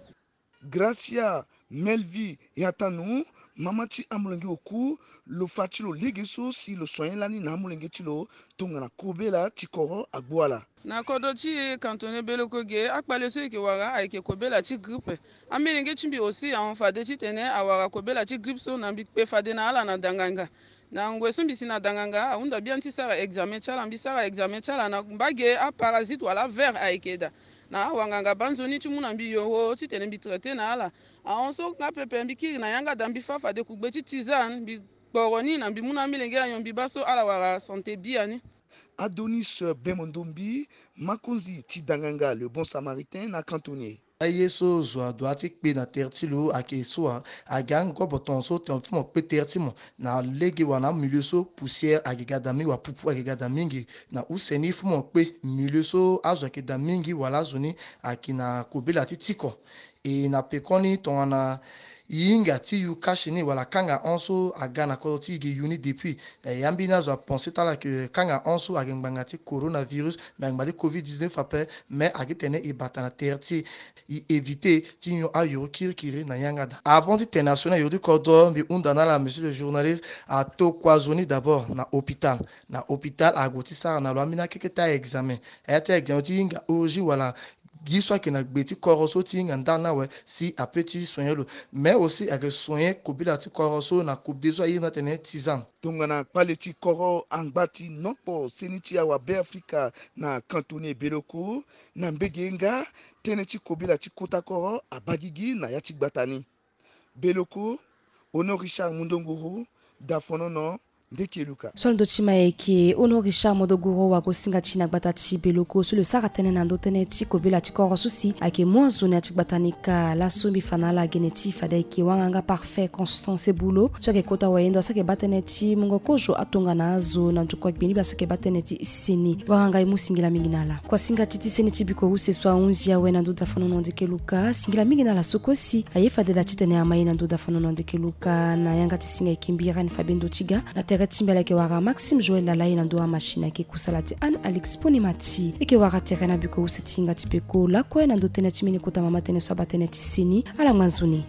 Gracia Melvi Yatanu, mama ti amolenge oku, lo fa ti lo lege so si lo soigner lani na amolenge ti lo tongana kobela ti koro agbu ala. Na kodro ti e cantonné Beloko ge, akpale so e yeke wara ayeke kobela ti grippe. Amolenge ti mbi aussi ahon fade titene awara kobela ti grippe so, na mbi kpe fade na ala na danganga. Na ngoi so mbi si na danganga, ahunda biani ti sara examen ti ala. Mbi sara examen ti ala na mbage aparasite wala aver ayeke daa. Na awanganga baa nzoni ti mu na mbi yoro titene mbi traiter na ala. Ahon so nga pepe mbi kiri na yanga daa, mbi fâ fade kugbe ti tisane, mbi kporo ni na mbi mu na amolenge anyon mbi baa so ala wara santé biani. Adonis Bemondombi, makonzi ti danganga Le Bon Samaritain na cantonné. Aye so zo adoit ti kpe na tere ti lo ayeke so, a, ayeke angobo tongaso tongana fo mo kpe tere ti mo na lege wala na amilieu so poussière ayeke ga daa mingi wala pupu ayeke ga daa mingi. Na use ni fo mo kpe milieu so azo ayeke daa mingi wala azo ni ayeke na kobela ti tiko. E na pekoni tongana e hinga ti yu kasi ni wala kanga hon so aga na kodro ti e ge yu ni depuis. E, ya mbeni azo apenser ti ala ke kanga hon so ayeke ngbanga ti coronavirus, me ayeke ngbanga ti covid dix-neuf ape, me ayeke tene e bata na tere ti e éviter ti nyon ayoro kirikiri na yanga daa. Avant ti tene na sioni ayoro ti kodro, mbi hunda na ala, monsieur le journaliste, atokua zo ni d'abord na hôpital. Na hôpital ague ti sara na lo ambeni akeke ti a-examen. Aya ti a-examen ti hinga origine wala gi so ayeke na gbe ti koro so ti hinga ndali ni awe si ape ti soigner lo. Mais aussi ayeke soigner kobela ti koro so na kobela so aye ni atene tisane. Tongana kpale ti koro angba ti nokpo seni ti awa Beafrika na cantonné Beloko, na mbege nga tënë ti kobela ti kota koro abaa gigi na ya ti gbata ni. Beloko, Honoré Richard Mundonguru, Dafonono, Ndeke Luka. So ndo ti ma ayeke Honoré Richard Mundonguru, wagosinga ti e na gbata ti Beloko, so lo sara tënë na ndö tënë ti kobela ti koro so si ayeke mu azo na ya ti gbata ni kâ. Laso mbi fa na ala gene ti e fade ayeke wanganga Parfait Constant Sebulo, so ayeke kota wayendo, so ayeke baa tënë ti mungo kozo atongana azo na ndokua gbeni bia so ayeke baa tënë ti seni. Wanganga, e mu singila mingi na ala. Kuasinga ti ti seni ti biko use so ahunzi awe na ndö Dafonono Ndeke Luka, singila mingi na ala so kue si aye fade da titene ama e na ndö Dafonono Ndeke Luka. Na yanga ti singa ayeke mbi Irène Fabien Dotiga, na tere ti mbi ala yeke wara Maxime Joël Lalaye, na ndö amachine ayeke kusala ti Anne Alix Ponimati. E yeke wara tere na biko use ti hinga ti peko lakue na ndö tënë ti mbeni kota mama tënë so abaa tënë ti seni. Ala ngba nzoni.